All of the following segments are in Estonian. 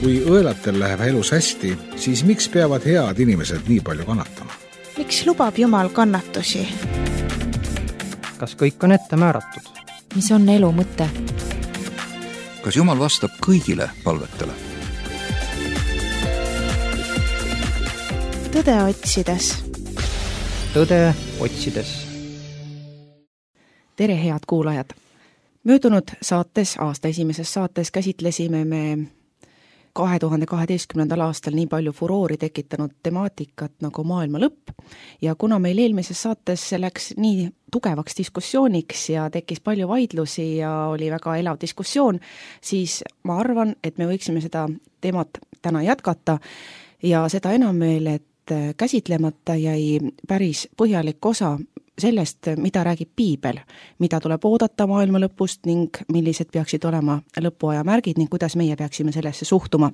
Kui õelatel läheb elus hästi, siis miks peavad head inimesed nii palju kannatama? Miks lubab Jumal kannatusi? Kas kõik on ette määratud? Mis on elu mõte? Kas Jumal vastab kõigile palvetele? Tõde otsides. Tõde otsides. Tere, head kuulajad! Möödunud saates, aasta esimeses saates käsitlesime me 2012. aastal nii palju furoori tekitanud temaatikat nagu maailma lõpp ja kuna meil eelmises saates läks nii tugevaks diskussiooniks ja tekkis palju vaidlusi ja oli väga elav diskussioon, siis ma arvan, et me võiksime seda teemat täna jätkata ja seda enam veel, et käsitlemata jäi päris põhjalik osa sellest, mida räägib Piibel, mida tuleb oodata maailma lõpust ning millised peaksid olema lõpuaja märgid ning kuidas meie peaksime sellesse suhtuma.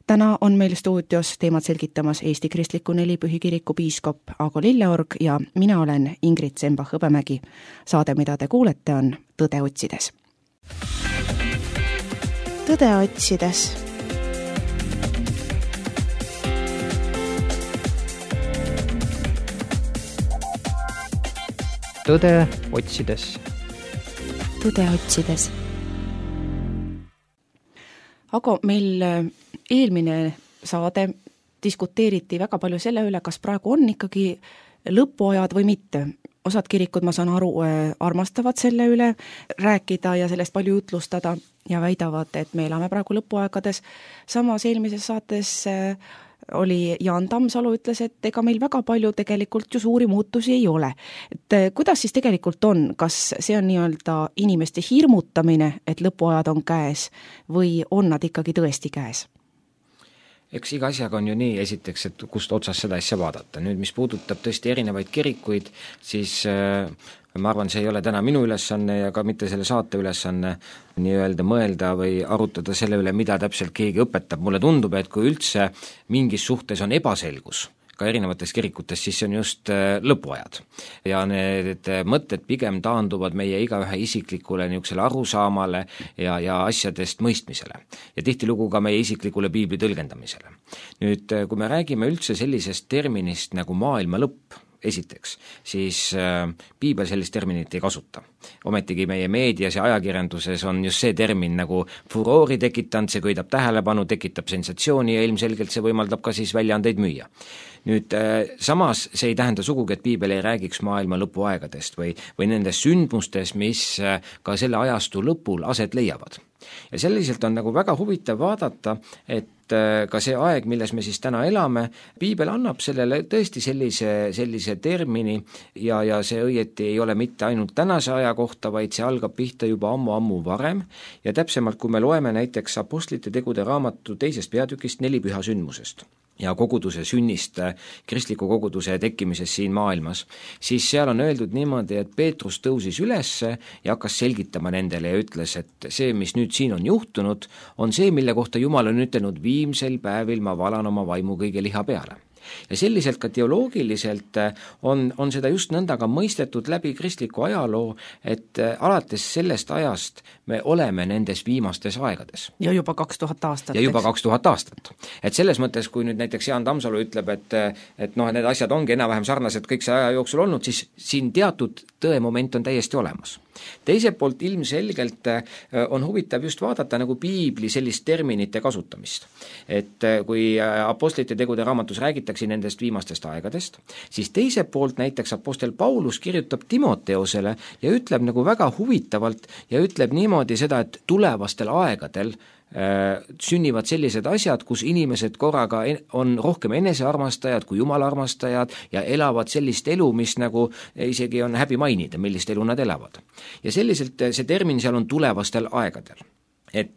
Täna on meil stuudios teemat selgitamas Eesti Kristliku Nelipühikiriku piiskop Aago Lilleorg ja mina olen Ingrid Sembach-Hõbemägi. Saade, mida te kuulete, on Tõde otsides. Tõde otsides. Tõde otsides. Tõde otsides. Aga meil eelmine saade diskuteeriti väga palju selle üle, kas praegu on ikkagi lõpuajad või mitte. Osad kirikud, ma saan aru, armastavad selle üle rääkida ja sellest palju jutlustada ja väidavad, et me elame praegu lõpuaegades. Samas eelmises saates oli Jaan Tammsalu ütles, et ega meil väga palju tegelikult ju suuri muutusi ei ole. Et kuidas siis tegelikult on? Kas see on nii-öelda inimeste hirmutamine, et lõpuajad on käes või on nad ikkagi tõesti käes? Eks iga asjaga on ju nii, esiteks, et kust otsast seda asja vaadata. Nüüd, mis puudutab tõesti erinevaid kirikuid, siis ma arvan, see ei ole täna minu ülesanne ja ka mitte selle saate ülesanne nii-öelda mõelda või arutada selle üle, mida täpselt keegi õpetab. Mulle tundub, et kui üldse mingis suhtes on ebaselgus, ka erinevates kirikutes, siis see on just lõpuajad. Ja need mõtted pigem taanduvad meie igaühe isiklikule niisugusele arusaamale ja asjadest mõistmisele. Ja tihtilugu ka meie isiklikule piibli tõlgendamisele. Nüüd, kui me räägime üldse sellisest terminist nagu maailma lõpp, esiteks, siis Piibel sellist terminit ei kasuta. Ometigi meie meedias ja ajakirjanduses on just see termin nagu furoori tekitanud, see köidab tähelepanu, tekitab sensatsiooni ja ilmselgelt see võimaldab ka siis väljaandeid müüa. Nüüd samas see ei tähenda sugugi, et Piibel ei räägiks maailma lõpuaegadest või nendest sündmustest, mis ka selle ajastu lõpul aset leiavad. Ja selliselt on nagu väga huvitav vaadata, et ka see aeg, milles me siis täna elame, Piibel annab sellele tõesti sellise termini ja see õieti ei ole mitte ainult tänase aja kohta, vaid see algab pihta juba ammu varem ja täpsemalt, kui me loeme näiteks Apostlite tegude raamatu 2. peatükist 4 püha sündmusest ja koguduse sünnist, kristliku koguduse tekkimisest siin maailmas, siis seal on öeldud niimoodi, et Peetrus tõusis ülesse ja hakkas selgitama nendele ja ütles, et see, mis nüüd siin on juhtunud, on see, mille kohta Jumal on ütelnud, viimsel päevil ma valan oma vaimu kõige liha peale. Ja selliselt ka teoloogiliselt on seda just nõnda ka mõistetud läbi kristliku ajaloo, et alates sellest ajast me oleme nendes viimastes aegades. Ja juba 2000 aastat. Ja juba 2000 aastat. Et selles mõttes, kui nüüd näiteks Jaan Tammsalu ütleb, et need asjad ongi enam-vähem sarnased kõik see aja jooksul olnud, siis siin teatud tõemoment on täiesti olemas. Teiselt poolt ilmselgelt on huvitav just vaadata nagu Piibli sellist terminite kasutamist. Et kui Apostlite tegude raamatus räägitakse nendest viimastest aegadest, siis teiselt poolt näiteks Apostel Paulus kirjutab Timoteosele ja ütleb nagu väga huvitavalt ja ütleb niimoodi seda, et tulevastel aegadel sünnivad sellised asjad, kus inimesed korraga on rohkem enesearmastajad kui Jumala armastajad ja elavad sellist elu, mis nagu isegi on häbi mainida, millist elu nad elavad. Ja selliselt see termin seal on tulevastel aegadel. Et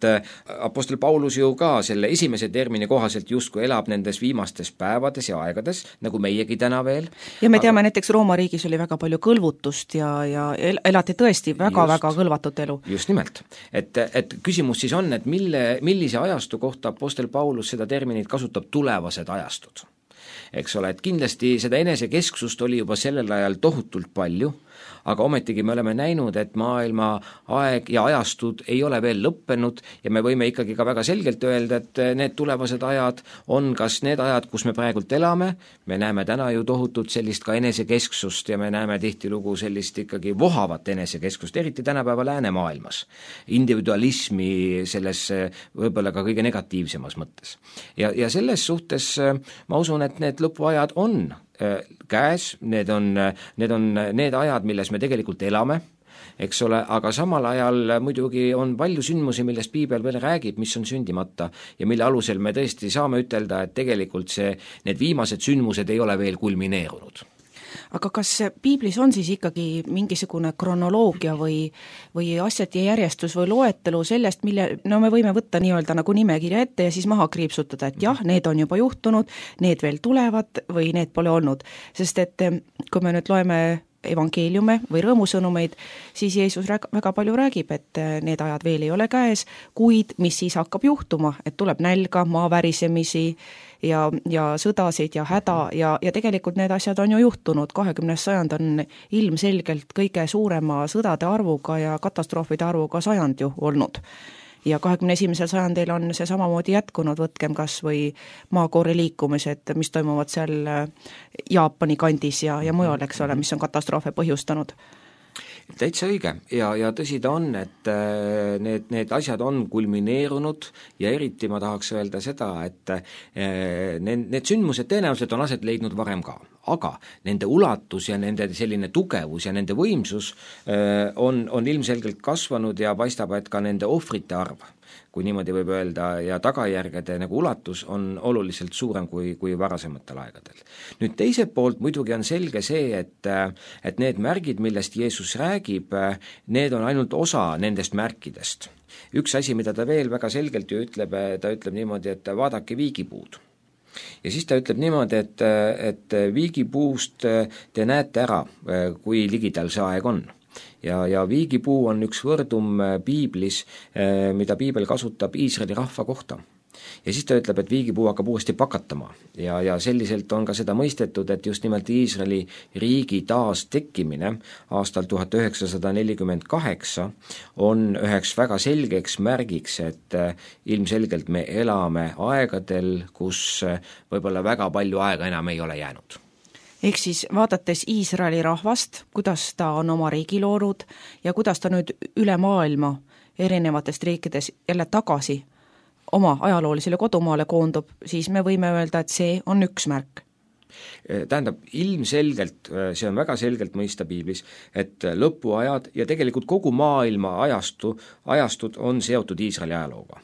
Apostel Paulus ju ka selle esimese termini kohaselt justkui elab nendes viimastes päevades ja aegades, nagu meiegi täna veel. Ja me teame, näiteks Rooma riigis oli väga palju kõlvutust ja elati tõesti väga kõlvatut elu. Just nimelt. Et küsimus siis on, et millise ajastu kohta Apostel Paulus seda terminit kasutab tulevased ajastud. Eks ole, et kindlasti seda enesekesksust oli juba sellel ajal tohutult palju, aga ometigi me oleme näinud, et maailma aeg ja ajastud ei ole veel lõppenud ja me võime ikkagi ka väga selgelt öelda, et need tulevased ajad on kas need ajad, kus me praegult elame, me näeme täna ju tohutult sellist ka enesekesksust ja me näeme tihtilugu sellist ikkagi vohavat enesekesksust, eriti tänapäeva läänemaailmas, individualismi selles võib-olla ka kõige negatiivsemas mõttes. Ja selles suhtes ma usun, et need lõpuajad on käes, need on need ajad, milles me tegelikult elame, eks ole, aga samal ajal muidugi on palju sündmusi, millest piibel veel räägib, mis on sündimata ja mille alusel me tõesti saame ütelda, et tegelikult need viimased sündmused ei ole veel kulmineerunud. Aga kas piiblis on siis ikkagi mingisugune kronoloogia või asjade järjestus või loetelu sellest, me võime võtta nii-öelda nagu nimekirja ette ja siis maha kriipsutada, et jah, need on juba juhtunud, need veel tulevad või need pole olnud. Sest et kui me nüüd loeme evangeeliume või rõõmusõnumeid, siis Jeesus väga palju räägib, et need ajad veel ei ole käes, kuid mis siis hakkab juhtuma, et tuleb nälga, maavärisemisi ja sõdasid ja häda ja tegelikult need asjad on ju juhtunud. 20. sajand on ilmselgelt kõige suurema sõdade arvuga ja katastroofide arvuga sajand ju olnud. Ja 21. sajandil on see samamoodi jätkunud, võtkem kas või maakoori liikumised, mis toimuvad seal Jaapani kandis ja mujal, eks ole, mis on katastroofe põhjustanud. Täitsa õige ja tõsi ta on, et need asjad on kulmineerunud ja eriti ma tahaks öelda seda, et need sündmused tõenäoliselt on aset leidnud varem ka, aga nende ulatus ja nende selline tugevus ja nende võimsus on ilmselgelt kasvanud ja paistab, et ka nende ohvrite arv, kui niimoodi võib öelda, ja tagajärgede nagu ulatus on oluliselt suurem kui varasematel aegadel. Nüüd teiselt poolt muidugi on selge see, et need märgid, millest Jeesus räägib, need on ainult osa nendest märkidest. Üks asi, mida ta veel väga selgelt ju ütleb, ta ütleb niimoodi, et vaadake viigipuud. Ja siis ta ütleb niimoodi, et viigipuust te näete ära, kui ligidal see aeg on. Ja viigipuu on üks võrdum piiblis, mida piibel kasutab Iisraeli rahva kohta. Ja siis ta ütleb, et viigipuu hakkab uuesti pakatama ja selliselt on ka seda mõistetud, et just nimelt Iisraeli riigi taas tekkimine aastal 1948 on üheks väga selgeks märgiks, et ilmselgelt me elame aegadel, kus võib-olla väga palju aega enam ei ole jäänud. Ehk siis vaadates Iisraeli rahvast, kuidas ta on oma riigi loonud ja kuidas ta nüüd üle maailma erinevatest riikides jälle tagasi oma ajaloolisele kodumaale koondub, siis me võime öelda, et see on üks märk. Tähendab, ilmselgelt, see on väga selgelt mõista piiblis, et lõpuajad ja tegelikult kogu maailma ajastud on seotud Iisraeli ajalooga.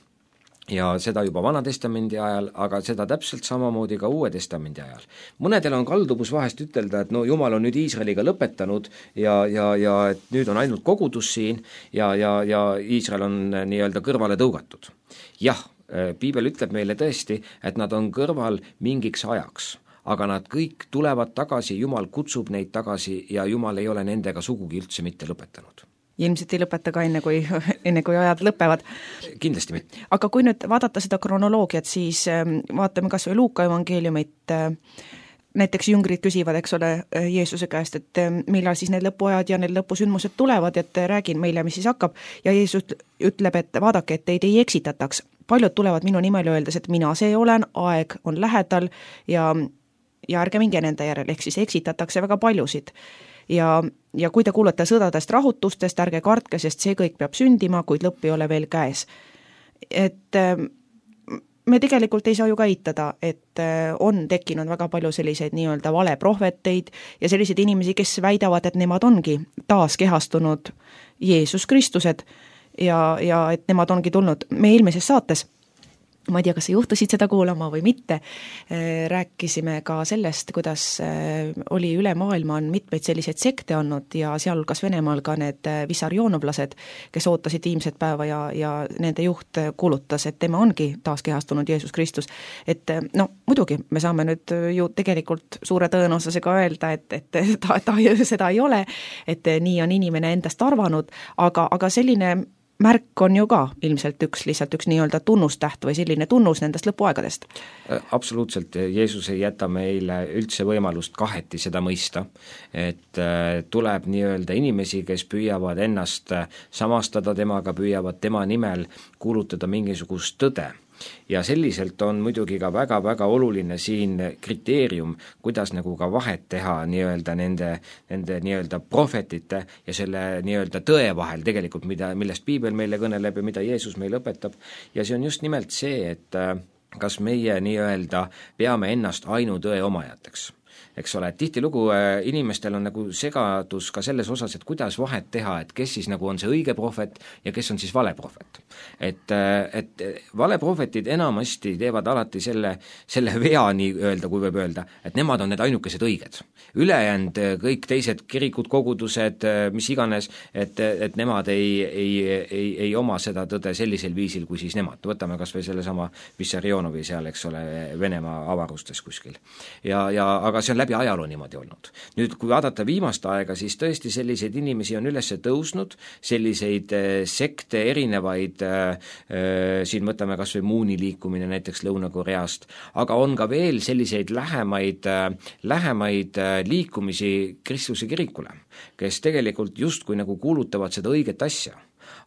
Ja seda juba Vana-testamendi ajal, aga seda täpselt samamoodi ka Uue testamendi ajal. Mõnedel on kalduvus vahest ütelda, et no Jumal on nüüd Iisraeliga lõpetanud ja et nüüd on ainult kogudus siin ja Iisrael on nii-öelda kõrvale tõugatud. Jah, piibel ütleb meile tõesti, et nad on kõrval mingiks ajaks, aga nad kõik tulevad tagasi, Jumal kutsub neid tagasi ja Jumal ei ole nendega sugugi üldse mitte lõpetanud. Ilmselt ei lõpeta ka enne kui ajad lõpevad. Kindlasti mitte. Aga kui nüüd vaadata seda kronoloogiat, siis vaatame kas või Luuka evangeeliumit, näiteks jüngrid küsivad, eks ole, Jeesuse käest, et millal siis need lõpuajad ja need lõpusündmused tulevad, et räägin meile, mis siis hakkab, ja Jeesus ütleb, et vaadake, et teid ei eksitataks. Paljud tulevad minu nimel öeldes, et mina see olen, aeg on lähedal ja ärge minge nende järel, ehk siis eksitatakse väga paljusid. Ja kui te kuulete sõdadest, rahutustest, ärge kartke, sest see kõik peab sündima, kuid lõpp ei ole veel käes. Et me tegelikult ei saa ju ka eitada, et on tekkinud väga palju selliseid nii-öelda valeprohveteid ja selliseid inimesi, kes väidavad, et nemad ongi taas kehastunud Jeesus Kristused ja et nemad ongi tulnud meie eelmises saates. Ma ei tea, kas sa juhtusid seda kuulama või mitte, rääkisime ka sellest, kuidas oli üle maailma on mitmeid selliseid sekte olnud ja sealhulgas Venemaal ka need vissarionovlased, kes ootasid viimset päeva ja nende juht kuulutas, et tema ongi taaskehastunud Jeesus Kristus. Et muidugi me saame nüüd ju tegelikult suure tõenäosusega öelda, et ta seda ei ole, et nii on inimene endast arvanud, aga selline märk on ju ka ilmselt lihtsalt üks nii-öelda tunnustäht või selline tunnus nendest lõpuaegadest. Absoluutselt, Jeesus ei jäta meile üldse võimalust kaheti seda mõista, et tuleb nii-öelda inimesi, kes püüavad ennast samastada temaga, püüavad tema nimel kuulutada mingisugust tõde. Ja selliselt on muidugi ka väga-väga oluline siin kriteerium, kuidas nagu ka vahet teha nii-öelda nende nii-öelda prohvetite ja selle nii-öelda tõe vahel tegelikult, millest piibel meile kõneleb ja mida Jeesus meile õpetab. Ja see on just nimelt see, et kas meie nii-öelda peame ennast ainutõe omajateks. Eks ole, et tihtilugu inimestel on nagu segadus ka selles osas, et kuidas vahet teha, et kes siis nagu on see õige prohvet ja kes on siis vale prohvet. Et vale prohvetid enamasti teevad alati selle vea nii-öelda, kui võib öelda, et nemad on need ainukesed õiged. Ülejäänud kõik teised kirikud, kogudused, mis iganes, et nemad ei oma seda tõde sellisel viisil, kui siis nemad. Võtame kas või selle sama Vissarionovi seal, eks ole, Venemaa avarustes kuskil. Aga see on läbi ajaloo niimoodi olnud. Nüüd, kui vaadata viimast aega, siis tõesti selliseid inimesi on üles tõusnud, selliseid sekte erinevaid, siin võtame kas või Mooni liikumine näiteks Lõuna-Koreast, aga on ka veel selliseid lähemaid liikumisi Kristuse kirikule, kes tegelikult justkui nagu kuulutavad seda õiget asja,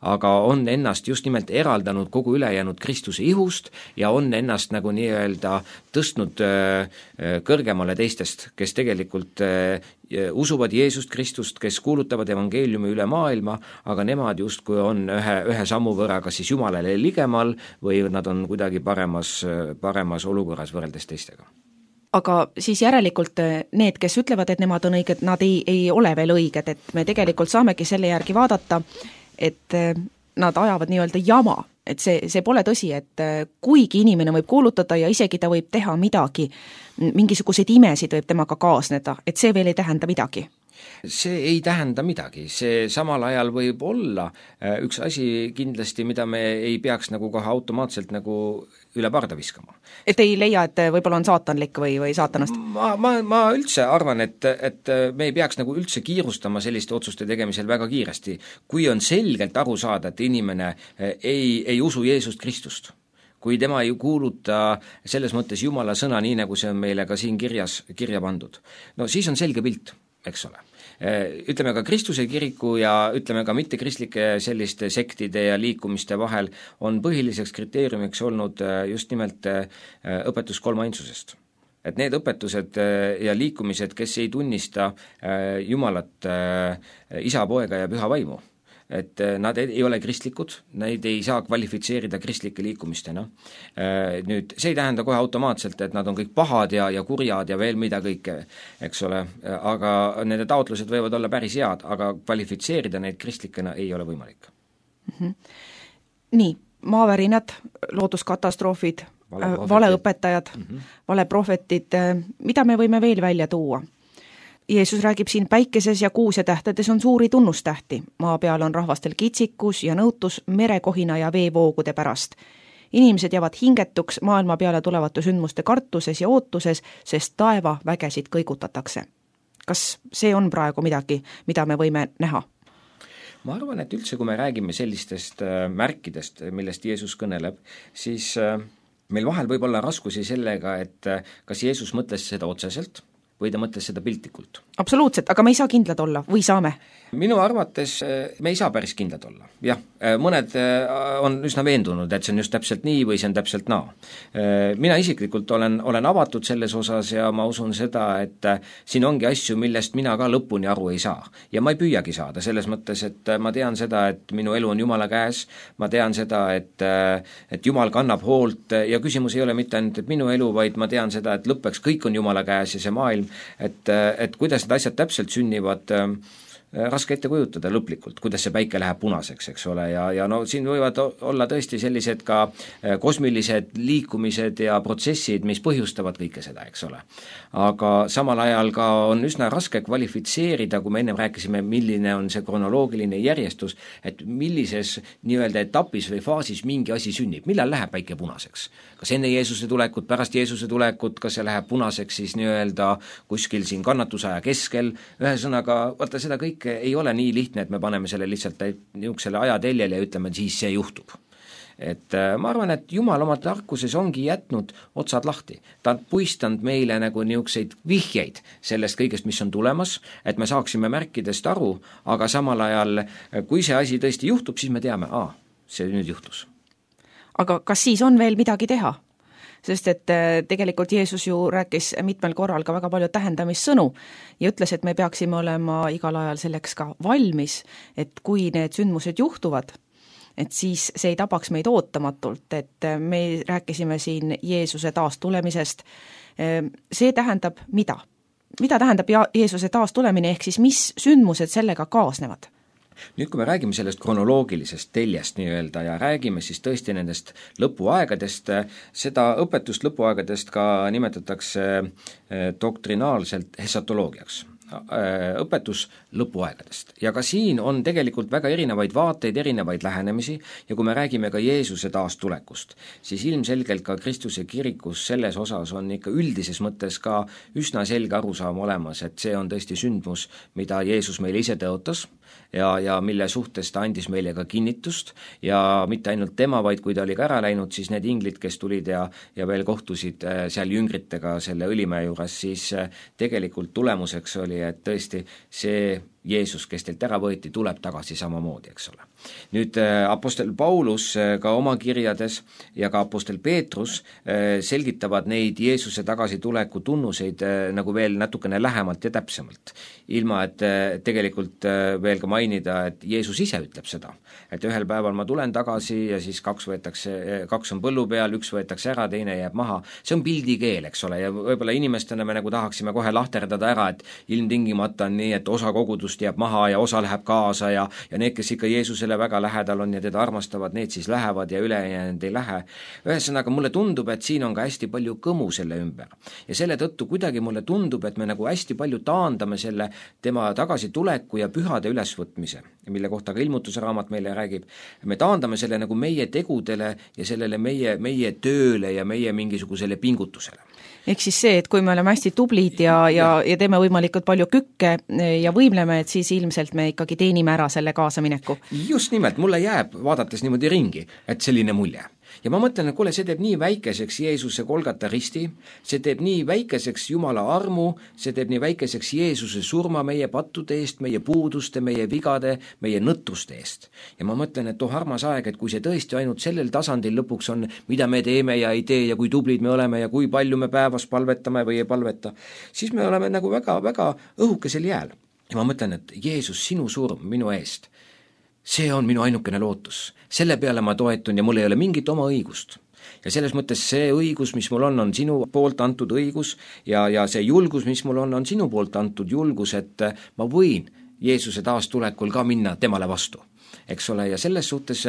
aga on ennast just nimelt eraldanud kogu ülejäänud Kristuse ihust ja on ennast nagu nii-öelda tõstnud kõrgemale teistest, kes tegelikult usuvad Jeesust Kristust, kes kuulutavad evangeeliumi üle maailma, aga nemad justkui on ühe sammu võrra kas siis Jumalale ligemal või nad on kuidagi paremas olukorras võrreldes teistega. Aga siis järelikult need, kes ütlevad, et nemad on õiged, nad ei ole veel õiged, et me tegelikult saamegi selle järgi vaadata, et nad ajavad nii-öelda jama, et see pole tõsi, et kuigi inimene võib kuulutada ja isegi ta võib teha midagi, mingisuguseid imesid võib temaga kaasneda, et see veel ei tähenda midagi. See ei tähenda midagi, see samal ajal võib olla üks asi kindlasti, mida me ei peaks nagu kohe automaatselt nagu üle parda viskama. Et ei leia, et võib-olla on saatanlik või saatanast? Ma üldse arvan, et me ei peaks nagu üldse kiirustama selliste otsuste tegemisel väga kiiresti, kui on selgelt aru saada, et inimene ei usu Jeesust Kristust. Kui tema ei kuuluta selles mõttes Jumala sõna, nii nagu see on meile ka siin kirja pandud. No siis on selge pilt, eks ole. Ütleme ka Kristuse kiriku ja ütleme ka mittekristlike selliste sektide ja liikumiste vahel on põhiliseks kriteeriumiks olnud just nimelt õpetus kolmainsusest. Et need õpetused ja liikumised, kes ei tunnista Jumalat, isa, poega ja püha vaimu, et nad ei ole kristlikud, neid ei saa kvalifitseerida kristlike liikumistena. Nüüd, see ei tähenda kohe automaatselt, et nad on kõik pahad ja kurjad ja veel mida kõike, eks ole, aga nende taotlused võivad olla päris head, aga kvalifitseerida neid kristlikena ei ole võimalik. Nii, maavärinad, looduskatastroofid, valeõpetajad, valeprohvetid, mida me võime veel välja tuua? Jeesus räägib siin päikeses ja kuus ja tähtedes on suuri tunnustähti. Maa peal on rahvastel kitsikus ja nõutus merekohina ja veevoogude pärast. Inimesed jäävad hingetuks maailma peale tulevate sündmuste kartuses ja ootuses, sest taeva vägesid kõigutatakse. Kas see on praegu midagi, mida me võime näha? Ma arvan, et üldse, kui me räägime sellistest märkidest, millest Jeesus kõneleb, siis meil vahel võib olla raskusi sellega, et kas Jeesus mõtles seda otseselt või ta mõtles seda piltlikult. Absoluutselt, aga me ei saa kindlad olla või saame? Minu arvates me ei saa päris kindlad olla. Jah, mõned on üsna veendunud, et see on just täpselt nii või see on täpselt naa. Mina isiklikult olen avatud selles osas ja ma usun seda, et siin ongi asju, millest mina ka lõpuni aru ei saa. Ja ma ei püüagi saada selles mõttes, et ma tean seda, et minu elu on Jumala käes, ma tean seda, et Jumal kannab hoolt ja küsimus ei ole mitte ainult, et minu elu, vaid ma tean seda, et lõppeks kõik on Jumala käes ja see maailm, et kuidas need asjad täpselt sünnivad, raske ette kujutada lõplikult, kuidas see päike läheb punaseks, eks ole, ja no siin võivad olla tõesti sellised ka kosmilised liikumised ja protsessid, mis põhjustavad kõike seda, eks ole. Aga samal ajal ka on üsna raske kvalifitseerida, kui me ennem rääkisime, milline on see kronoloogiline järjestus, et millises nii-öelda etapis või faasis mingi asi sünnib, millal läheb päike punaseks. Kas enne Jeesuse tulekut, pärast Jeesuse tulekut, kas see läheb punaseks siis nii-öelda kuskil siin kannatusaja keskel, ühesõnaga, vaata seda kõike kõik ei ole nii lihtne, et me paneme selle lihtsalt niisugusele ajateljele ja ütleme, et siis see juhtub. Et ma arvan, et Jumal oma tarkuses ongi jätnud otsad lahti. Ta on puistanud meile nagu niisuguseid vihjeid sellest kõigest, mis on tulemas, et me saaksime märkidest aru, aga samal ajal, kui see asi tõesti juhtub, siis me teame, see nüüd juhtus. Aga kas siis on veel midagi teha? Sest et tegelikult Jeesus ju rääkis mitmel korral ka väga palju tähendamissõnu ja ütles, et me peaksime olema igal ajal selleks ka valmis, et kui need sündmused juhtuvad, et siis see ei tabaks meid ootamatult, et me rääkisime siin Jeesuse taastulemisest. See tähendab mida? Mida tähendab Jeesuse taastulemine, ehk siis mis sündmused sellega kaasnevad? Nüüd, kui me räägime sellest kronoloogilisest teljest nii-öelda ja räägime siis tõesti nendest lõpuaegadest, seda õpetust lõpuaegadest ka nimetatakse doktrinaalselt hesatoloogiaks. Õpetus lõpuaegadest. Ja ka siin on tegelikult väga erinevaid vaateid, erinevaid lähenemisi ja kui me räägime ka Jeesuse taastulekust, siis ilmselgelt ka Kristuse kirikus selles osas on ikka üldises mõttes ka üsna selge arusaam olemas, et see on tõesti sündmus, mida Jeesus meile ise tõotas ja mille suhtes ta andis meile ka kinnitust ja mitte ainult tema, vaid kui ta oli ka ära läinud, siis need inglid, kes tulid ja veel kohtusid seal jüngritega selle Õlimäe juures, siis tegelikult tulemuseks oli, et tõesti see Jeesus, kes teilt ära võeti, tuleb tagasi samamoodi, eks ole. Nüüd apostel Paulus ka oma kirjades ja ka apostel Peetrus selgitavad neid Jeesuse tagasituleku tunnuseid nagu veel natukene lähemalt ja täpsemalt, ilma et tegelikult veel ka mainida, et Jeesus ise ütleb seda, et ühel päeval ma tulen tagasi ja siis kaks on põllu peal, üks võetakse ära, teine jääb maha. See on pildikeel, eks ole, ja võib-olla inimestena me nagu tahaksime kohe lahterdada ära, et ilmtingimata on nii, et osa kogudust jääb maha ja osa läheb kaasa ja need, kes ikka Jeesusele väga lähedal on ja teda armastavad, need siis lähevad ja ülejäänud ei lähe. Ühesõnaga, mulle tundub, et siin on ka hästi palju kõmu selle ümber. Ja selle tõttu kuidagi mulle tundub, et me nagu hästi palju taandame selle tema tagasituleku ja pühade ülesvõtmise, mille kohta ka ilmutuse raamat meile räägib. Me taandame selle nagu meie tegudele ja sellele meie tööle ja meie mingisugusele pingutusele. Ehk siis see, et kui me oleme hästi tublid ja teeme võimalikult palju kükke ja võimleme, et siis ilmselt me ikkagi teenime ära selle kaasamineku. Just nimelt, mulle jääb vaadates niimoodi ringi, et selline mulje. Ja ma mõtlen, et kuule, see teeb nii väikeseks Jeesuse Golgata risti, see teeb nii väikeseks Jumala armu, see teeb nii väikeseks Jeesuse surma meie pattude eest, meie puuduste, meie vigade, meie nõtruste eest. Ja ma mõtlen, et armas aeg, et kui see tõesti ainult sellel tasandil lõpuks on, mida me teeme ja ei tee ja kui tublid me oleme ja kui palju me päevas palvetame või ei palveta, siis me oleme nagu väga õhukesel jääl. Ja ma mõtlen, et Jeesus, sinu surm minu eest, see on minu ainukene lootus. Selle peale ma toetun ja mul ei ole mingit oma õigust. Ja selles mõttes see õigus, mis mul on sinu poolt antud õigus ja see julgus, mis mul on sinu poolt antud julgus, et ma võin Jeesuse taastulekul ka minna temale vastu. Eks ole, ja selles suhtes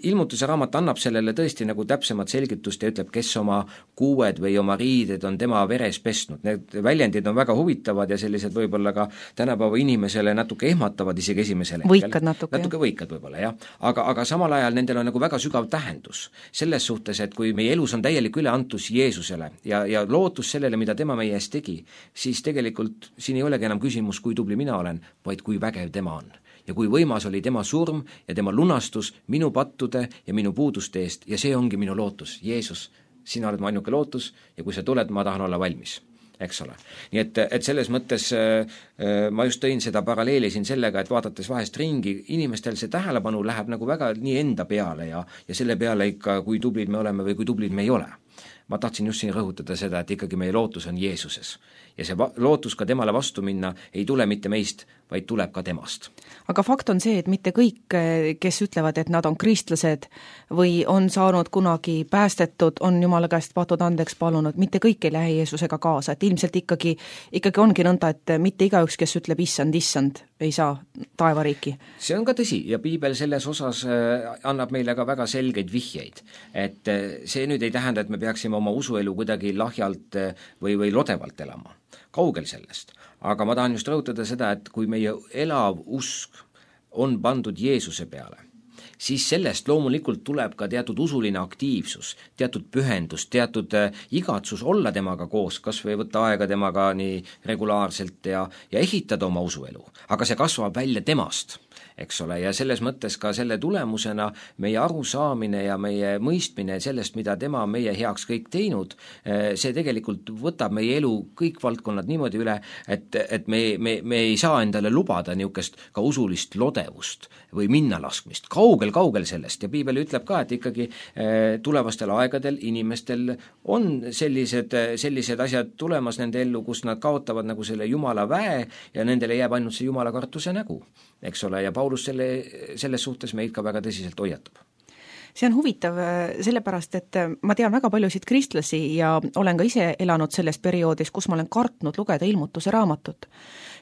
ilmutuse raamat annab sellele tõesti nagu täpsemat selgitust ja ütleb, kes oma kuued või oma riided on tema veres pestnud. Need väljendid on väga huvitavad ja sellised võib-olla ka tänapäeva inimesele natuke ehmatavad isegi esimesel hetkel. Võikad natuke võikad võib-olla, jah. Aga samal ajal nendel on nagu väga sügav tähendus. Selles suhtes, et kui meie elus on täielik üleantus Jeesusele ja lootus sellele, mida tema meie eest tegi, siis tegelikult siin ei olegi enam küsimus, kui tubli mina olen, vaid kui vägev tema on. Ja kui võimas oli tema surm ja tema lunastus minu pattude ja minu puuduste eest ja see ongi minu lootus. Jeesus, sina oled mu ainuke lootus ja kui sa tuled, ma tahan olla valmis, eks ole. Nii et selles mõttes ma just tõin seda paralleeli siin sellega, et vaadates vahest ringi, inimestel see tähelepanu läheb nagu väga nii enda peale ja selle peale ikka, kui tublid me oleme või kui tublid me ei ole. Ma tahtsin just siin rõhutada seda, et ikkagi meie lootus on Jeesuses. Ja see lootus ka temale vastu minna ei tule mitte meist, vaid tuleb ka temast. Aga fakt on see, et mitte kõik, kes ütlevad, et nad on kristlased või on saanud kunagi päästetud, on Jumala käest patud andeks palunud, mitte kõik ei lähe Jeesusega kaasa, et ilmselt ikkagi ongi nõnda, et mitte igaüks, kes ütleb issand, ei saa taevariiki. See on ka tõsi ja piibel selles osas annab meile ka väga selgeid vihjeid, et see nüüd ei tähenda, et me peaksime oma usuelu kuidagi lahjalt või lodevalt elama. Kaugel sellest. Aga ma tahan just rõhutada seda, et kui meie elav usk on pandud Jeesuse peale, siis sellest loomulikult tuleb ka teatud usuline aktiivsus, teatud pühendus, teatud igatsus olla temaga koos, kas või võtta aega temaga nii regulaarselt ja ehitada oma usuelu, aga see kasvab välja temast, eks ole, ja selles mõttes ka selle tulemusena meie arusaamine ja meie mõistmine sellest, mida tema meie heaks kõik teinud, see tegelikult võtab meie elu kõik valdkonnad niimoodi üle, et me ei saa endale lubada niisugust ka usulist lodevust või minnalaskmist, kaugel sellest, ja piibel ütleb ka, et ikkagi tulevastel aegadel inimestel on sellised asjad tulemas nende ellu, kus nad kaotavad nagu selle Jumala väe ja nendele jääb ainult see Jumala kartuse nägu, eks ole, ja Paulus selles suhtes meid ka väga tõsiselt hoiatab. See on huvitav sellepärast, et ma tean väga paljusid kristlasi ja olen ka ise elanud selles perioodis, kus ma olen kartnud lugeda Ilmutuse raamatut,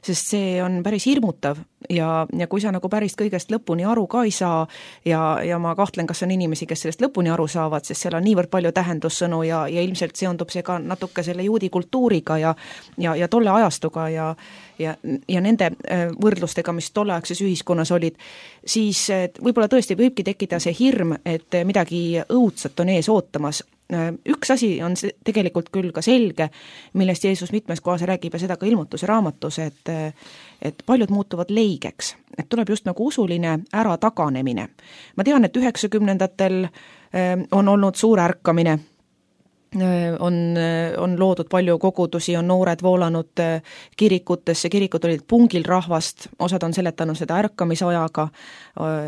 sest see on päris hirmutav ja kui sa nagu päris kõigest lõpuni aru ka ei saa ja ma kahtlen, kas on inimesi, kes sellest lõpuni aru saavad, sest seal on niivõrd palju tähendussõnu ja ilmselt seondub see ka natuke selle juudi kultuuriga ja tolle ajastuga ja nende võrdlustega, mis tolleaegses ühiskonnas olid, siis võib-olla tõesti võibki tekkida see hirm, et midagi õudset on ees ootamas. Üks asi on tegelikult küll ka selge, millest Jeesus mitmes kohas räägib ja seda ka Ilmutuse raamatus, et paljud muutuvad leigeks, et tuleb just nagu usuline ärataganemine. Ma tean, et 90-ndatel on olnud suur ärkamine, on loodud palju kogudusi, on noored voolanud kirikutesse, kirikud olid pungil rahvast, osad on seletanud seda ärkamisajaga,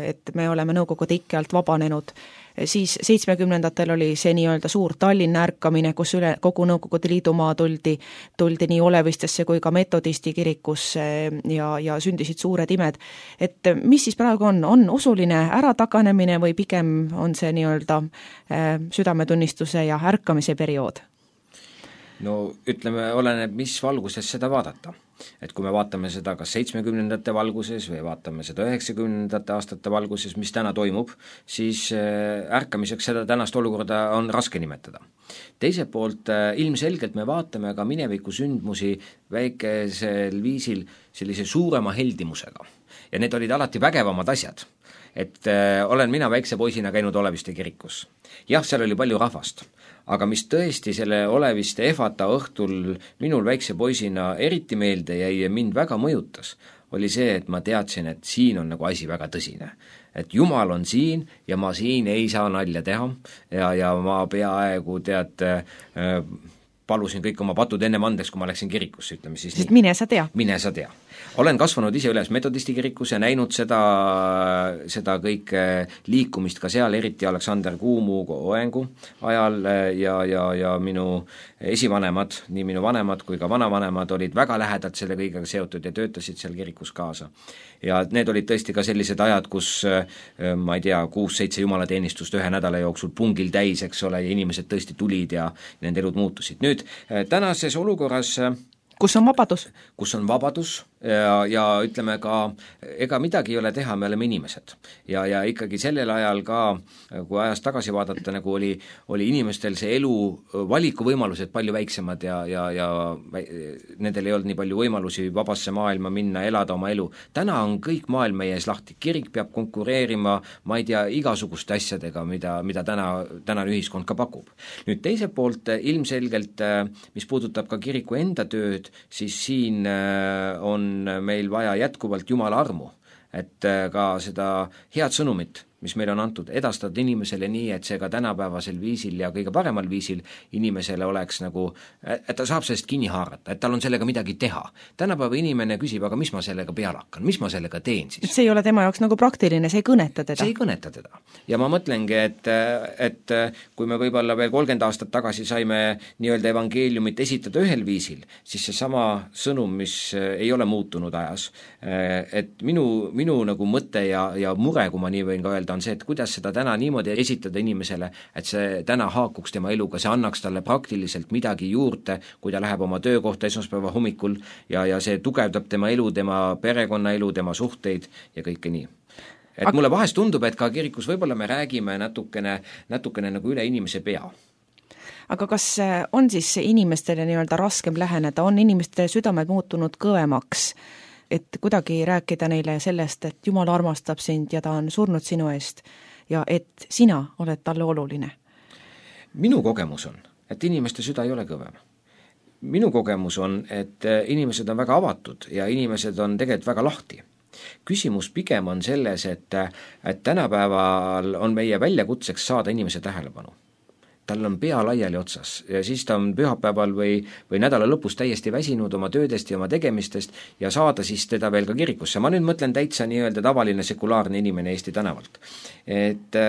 et me oleme Nõukogude ikke alt vabanenud. Siis 70-ndatel oli see nii-öelda suur Tallinna ärkamine, kus üle kogu Nõukogude Liidumaa tuldi nii Olevistesse kui ka metodisti kirikusse ja sündisid suured imed. Et mis siis praegu on usuline ärataganemine või pigem on see nii-öelda südametunnistuse ja ärkamise periood? No ütleme, oleneb, mis valguses seda vaadata. Et kui me vaatame seda kas 70-ndate valguses või vaatame seda 90-ndate aastate valguses, mis täna toimub, siis ärkamiseks seda tänast olukorda on raske nimetada. Teiselt poolt ilmselgelt me vaatame ka mineviku sündmusi väikesel viisil sellise suurema heldimusega. Ja need olid alati vägevamad asjad. Et olen mina väikse poisina käinud Oleviste kirikus. Jah, seal oli palju rahvast, aga mis tõesti selle Oleviste ehvata õhtul minul väikse poisina eriti meelde jäi ja mind väga mõjutas, oli see, et ma teadsin, et siin on nagu asi väga tõsine. Et Jumal on siin ja ma siin ei saa nalja teha ja ma peaaegu palusin kõik oma patud ennem andeks, kui ma läksin kirikusse, ütleme siis nii. Mine sa tea. Mine sa tea. Olen kasvanud ise üles metodisti kirikus ja näinud seda kõik liikumist ka seal, eriti Aleksander Kuumu oengu ajal ja minu esivanemad, nii minu vanemad kui ka vanavanemad olid väga lähedalt selle kõigega seotud ja töötasid seal kirikus kaasa. Ja need olid tõesti ka sellised ajad, kus ma ei tea, 6-7 jumalateenistust ühe nädala jooksul pungil täis, eks ole, ja inimesed tõesti tulid ja nende elud muutusid. Nüüd tänases olukorras kus on vabadus? Kus on vabadus ja ütleme ka, ega midagi ei ole teha, me oleme inimesed. Ja ikkagi sellel ajal ka, kui ajas tagasi vaadata, nagu oli inimestel see elu valikuvõimalused palju väiksemad ja nendel ei olnud nii palju võimalusi vabasse maailma minna, elada oma elu. Täna on kõik maailm meie ees lahti. Kirik peab konkureerima, ma ei tea, igasuguste asjadega, mida tänane ühiskond ka pakub. Nüüd teiselt poolt ilmselgelt, mis puudutab ka kiriku enda tööd, siis siin on meil vaja jätkuvalt Jumala armu, et ka seda head sõnumit, mis meil on antud, edastada inimesele nii, et see ka tänapäevasel viisil ja kõige paremal viisil inimesele oleks nagu, et ta saab sellest kinni haarata, et tal on sellega midagi teha. Tänapäeva inimene küsib, aga mis ma sellega peale hakkan, mis ma sellega teen siis? See ei ole tema jaoks nagu praktiline, see ei kõneta teda. See ei kõneta teda. Ja ma mõtlengi, et kui me võib-olla veel 30 aastat tagasi saime nii-öelda evangeeliumit esitada ühel viisil, siis see sama sõnum, mis ei ole muutunud ajas, et minu nagu mõte ja mure, kui ma nii võin ka öelda, on see, et kuidas seda täna niimoodi esitada inimesele, et see täna haakuks tema eluga, see annaks talle praktiliselt midagi juurde, kui ta läheb oma töökohta esmaspäeva hommikul ja see tugevdab tema elu, tema perekonnaelu, tema suhteid ja kõike nii. Et mulle vahest tundub, et ka kirikus võib-olla me räägime natukene nagu üle inimese pea. Aga kas on siis inimestele nii-öelda raskem läheneda, on inimeste südamed muutunud kõvemaks? et kuidagi rääkida neile sellest, et Jumal armastab sind ja ta on surnud sinu eest ja et sina oled talle oluline? Minu kogemus on, et inimeste süda ei ole kõvem. Minu kogemus on, et inimesed on väga avatud ja inimesed on tegelikult väga lahti. Küsimus pigem on selles, et tänapäeval on meie väljakutseks saada inimese tähelepanu. Tal on pea laiali otsas ja siis ta on pühapäeval või nädala lõpus täiesti väsinud oma töödest ja oma tegemistest ja saada siis teda veel ka kirikusse. Ma nüüd mõtlen täitsa nii-öelda tavaline sekulaarne inimene Eesti tänavalt. Et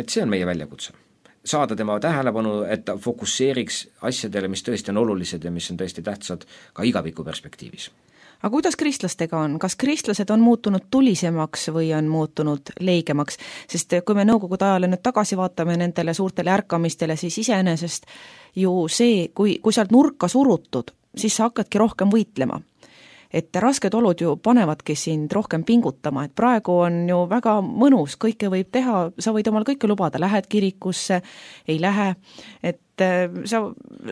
see on meie väljakutse. Saada tema tähelepanu, et ta fokusseeriks asjadele, mis tõesti on olulised ja mis on tõesti tähtsad ka igaviku perspektiivis. Aga kuidas kristlastega on? Kas kristlased on muutunud tulisemaks või on muutunud leigemaks? Sest kui me Nõukogude ajale nüüd tagasi vaatame nendele suurtele ärkamistele, siis iseenesest ju see, kui sealt nurka surutud, siis sa hakkadki rohkem võitlema. Et rasked olud ju panevadki sind rohkem pingutama, et praegu on ju väga mõnus, kõike võib teha, sa võid omal kõike lubada, lähed kirikusse, ei lähe, et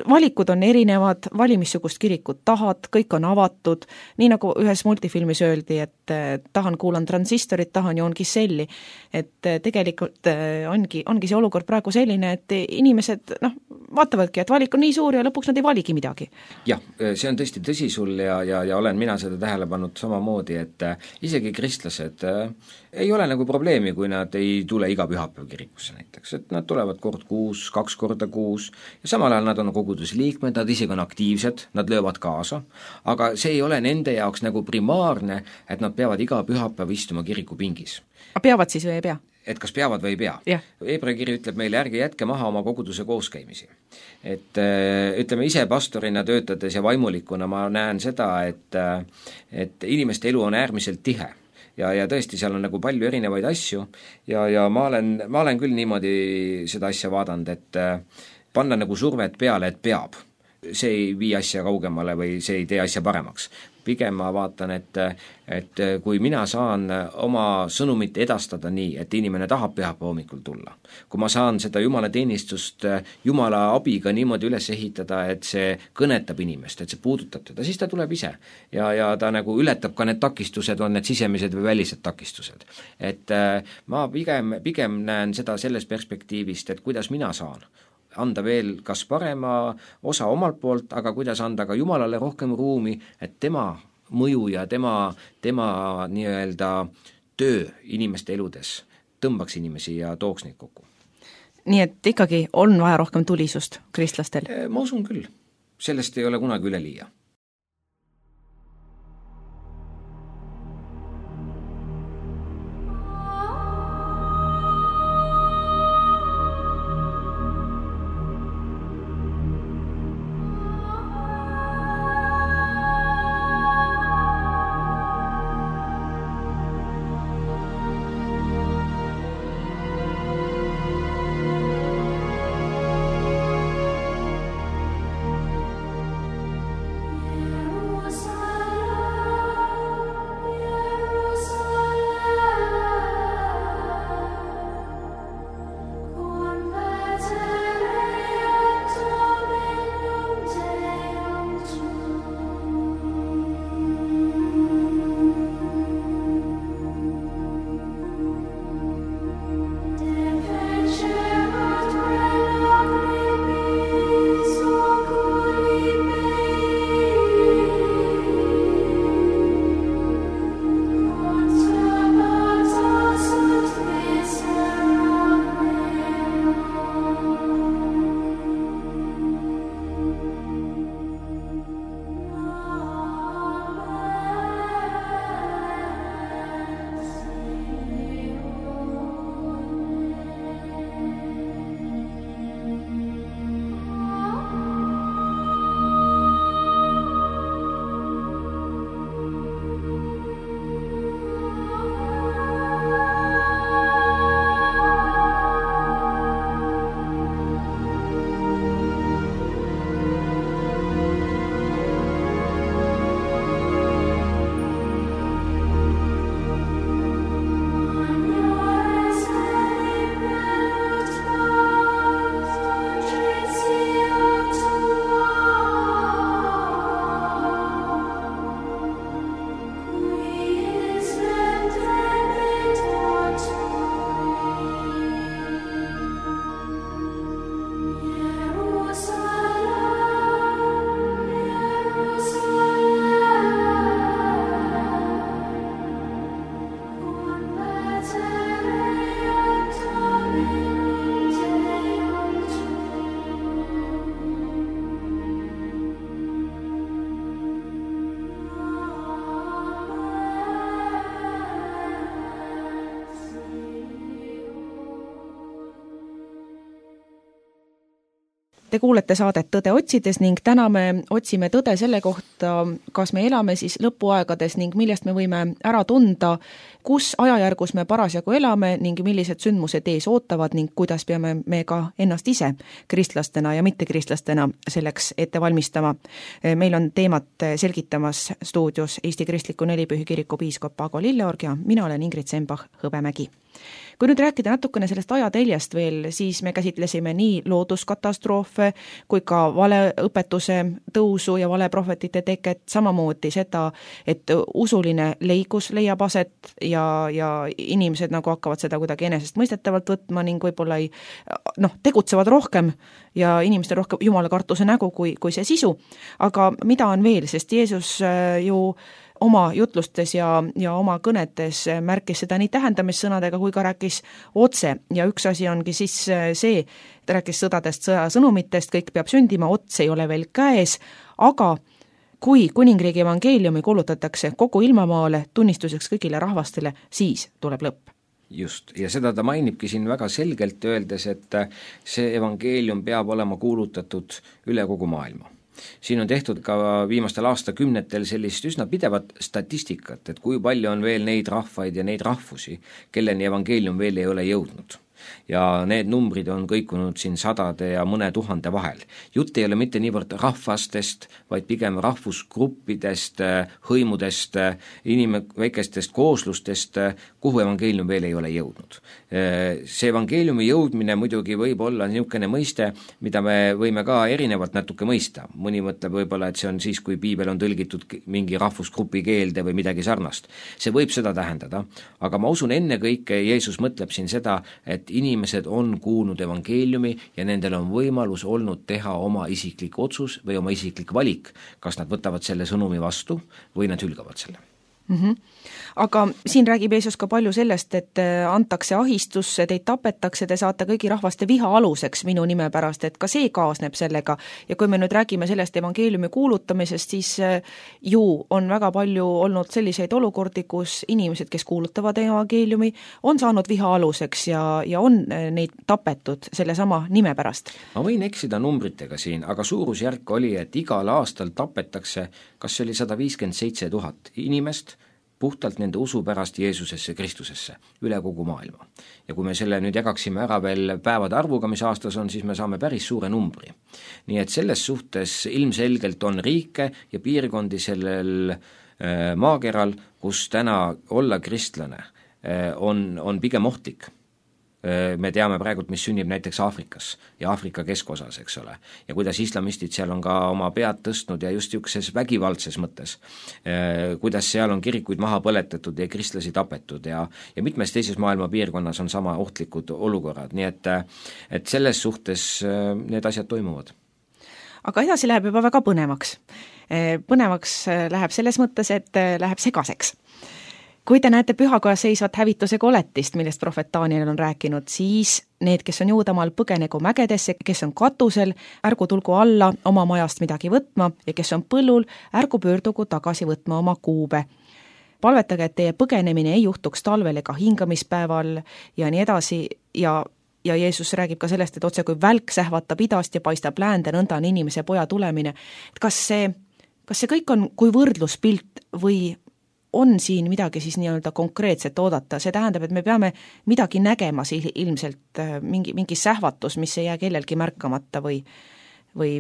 valikud on erinevad, valimissugust kirikut tahad, kõik on avatud, nii nagu ühes multifilmis öeldi, et kuulan transistorit, tahan joon Giselli, et tegelikult ongi see olukord praegu selline, et inimesed vaatavadki, et valik on nii suur ja lõpuks nad ei valigi midagi. Jah, see on tõesti tõsi sul ja olen mina seda tähele pannud samamoodi, et isegi kristlased ei ole nagu probleemi, kui nad ei tule iga pühapäev kirikusse näiteks, et nad tulevad kord kuus, 2 korda kuus ja samal ajal nad on kogudusliikmed, nad isegi on aktiivsed, nad löövad kaasa, aga see ei ole nende jaoks nagu primaarne, et nad peavad iga pühapäev istuma kirikupingis. Aga peavad siis või ei pea? Et kas peavad või ei pea. Hebra kiri ütleb meile, ärge jätke maha oma koguduse kooskäimisi. Et ütleme ise pastorina töötades ja vaimulikuna ma näen seda, et inimeste elu on äärmiselt tihe. Ja tõesti, seal on nagu palju erinevaid asju ja ma olen küll niimoodi seda asja vaadanud, et panna nagu survet peale, et peab. See ei vii asja kaugemale või see ei tee asja paremaks. Pigem ma vaatan, et kui mina saan oma sõnumit edastada nii, et inimene tahab pühapäeva hommikul tulla, kui ma saan seda Jumala teenistust Jumala abiga niimoodi üles ehitada, et see kõnetab inimest, et see puudutab teda, siis ta tuleb ise ja ta nagu ületab ka need takistused, on need sisemised või välised takistused. Et ma pigem näen seda sellest perspektiivist, et kuidas mina saan anda veel kas parema osa omalt poolt, aga kuidas anda ka Jumalale rohkem ruumi, et tema mõju ja tema nii-öelda töö inimeste eludes tõmbaks inimesi ja tooks neid kokku. Nii et ikkagi on vaja rohkem tulisust kristlastel? Ma usun küll. Sellest ei ole kunagi üle liia. Te kuulete saadet Tõde otsides ning täna me otsime tõde selle kohta, kas me elame siis lõpuaegades ning millest me võime ära tunda, kus ajajärgus me parasjagu elame ning millised sündmused ees ootavad ning kuidas peame me ka ennast ise kristlastena ja mittekristlastena selleks ette valmistama. Meil on teemat selgitamas stuudios Eesti Kristliku Nelipühi Kiriku piiskop Ago Lilleorg ja mina olen Ingrid Sembach-Hõbemägi. Kui nüüd rääkida natukene sellest ajateljest veel, siis me käsitlesime nii looduskatastroofe kui ka valeõpetuse tõusu ja valeprohvetite teket, samamoodi seda, et usuline leigus leiab aset ja inimesed nagu hakkavad seda kuidagi enesestmõistetavalt võtma ning võib-olla tegutsevad rohkem ja inimestel rohkem jumala kartuse nägu kui see sisu. Aga mida on veel, sest Jeesus ju oma jutlustes ja oma kõnetes märkis seda nii tähendamissõnadega kui ka rääkis otse ja üks asi ongi siis see, ta rääkis sõdadest, sõjasõnumitest, kõik peab sündima, ots ei ole veel käes, aga kui kuningriigi evangeeliumi kuulutatakse kogu ilmamaale tunnistuseks kõigile rahvastele, siis tuleb lõpp. Just, ja seda ta mainibki siin väga selgelt öeldes, et see evangeelium peab olema kuulutatud üle kogu maailma. Siin on tehtud ka viimastel aastakümnetel sellist üsna pidevat statistikat, et kui palju on veel neid rahvaid ja neid rahvusi, kelleni evangeelium veel ei ole jõudnud. Ja need numbrid on kõikunud siin 100 ja mõne 1000 vahel. Jutt ei ole mitte niivõrd rahvastest, vaid pigem rahvusgruppidest, hõimudest, väikestest kooslustest, kuhu evangeelium veel ei ole jõudnud. See evangeeliumi jõudmine muidugi võib olla niisugune mõiste, mida me võime ka erinevalt natuke mõista. Mõni mõtleb võib-olla, et see on siis, kui piibel on tõlgitud mingi rahvusgrupi keelde või midagi sarnast. See võib seda tähendada, aga ma usun ennekõike Jeesus mõtleb siin seda, et inimesed on kuulnud evangeeliumi ja nendel on võimalus olnud teha oma isiklik otsus või oma isiklik valik, kas nad võtavad selle sõnumi vastu või nad hülgavad selle. Aga siin räägib Jeesus ka palju sellest, et antakse ahistusse, teid tapetakse, te saate kõigi rahvaste viha aluseks minu nime pärast, et ka see kaasneb sellega. Ja kui me nüüd räägime sellest evangeeliumi kuulutamisest, siis ju on väga palju olnud selliseid olukordi, kus inimesed, kes kuulutavad evangeeliumi, on saanud viha aluseks ja on neid tapetud selle sama nime pärast. Ma võin eksida numbritega siin, aga suurusjärk oli, et igal aastal tapetakse, kas see oli 157 000 inimest, puhtalt nende usu pärast Jeesusesse, Kristusesse, üle kogu maailma. Ja kui me selle nüüd jagaksime ära veel päevade arvuga, mis aastas on, siis me saame päris suure numbri. Nii et selles suhtes ilmselgelt on riike ja piirkondi sellel maakeral, kus täna olla kristlane on pigem ohtlik. Me teame praegult, mis sünnib näiteks Aafrikas ja Aafrika keskosas, eks ole, ja kuidas islamistid seal on ka oma pead tõstnud ja just niisuguses vägivaldses mõttes, kuidas seal on kirikuid maha põletatud ja kristlasi tapetud ja mitmes teises maailma piirkonnas on sama ohtlikud olukorrad, nii et selles suhtes need asjad toimuvad. Aga edasi läheb juba väga põnevaks. Põnevaks läheb selles mõttes, et läheb segaseks. Kui te näete pühakojas seisvat hävituse koletist, millest prohvet Daniel on rääkinud, siis need, kes on Juudamaal, põgenegu mägedesse, kes on katusel, ärgu tulgu alla oma majast midagi võtma ja kes on põllul, ärgu pöördugu tagasi võtma oma kuube. Palvetage, et teie põgenemine ei juhtuks talvel ega hingamispäeval ja nii edasi ja Jeesus räägib ka sellest, et otse kui välk sähvatab idast ja paistab läände, nõnda on inimese poja tulemine. Kas see kõik on kui võrdluspilt või on siin midagi siis nii-öelda konkreetset oodata, see tähendab, et me peame midagi nägema ilmselt, mingi sähvatus, mis ei jää kellelgi märkamata või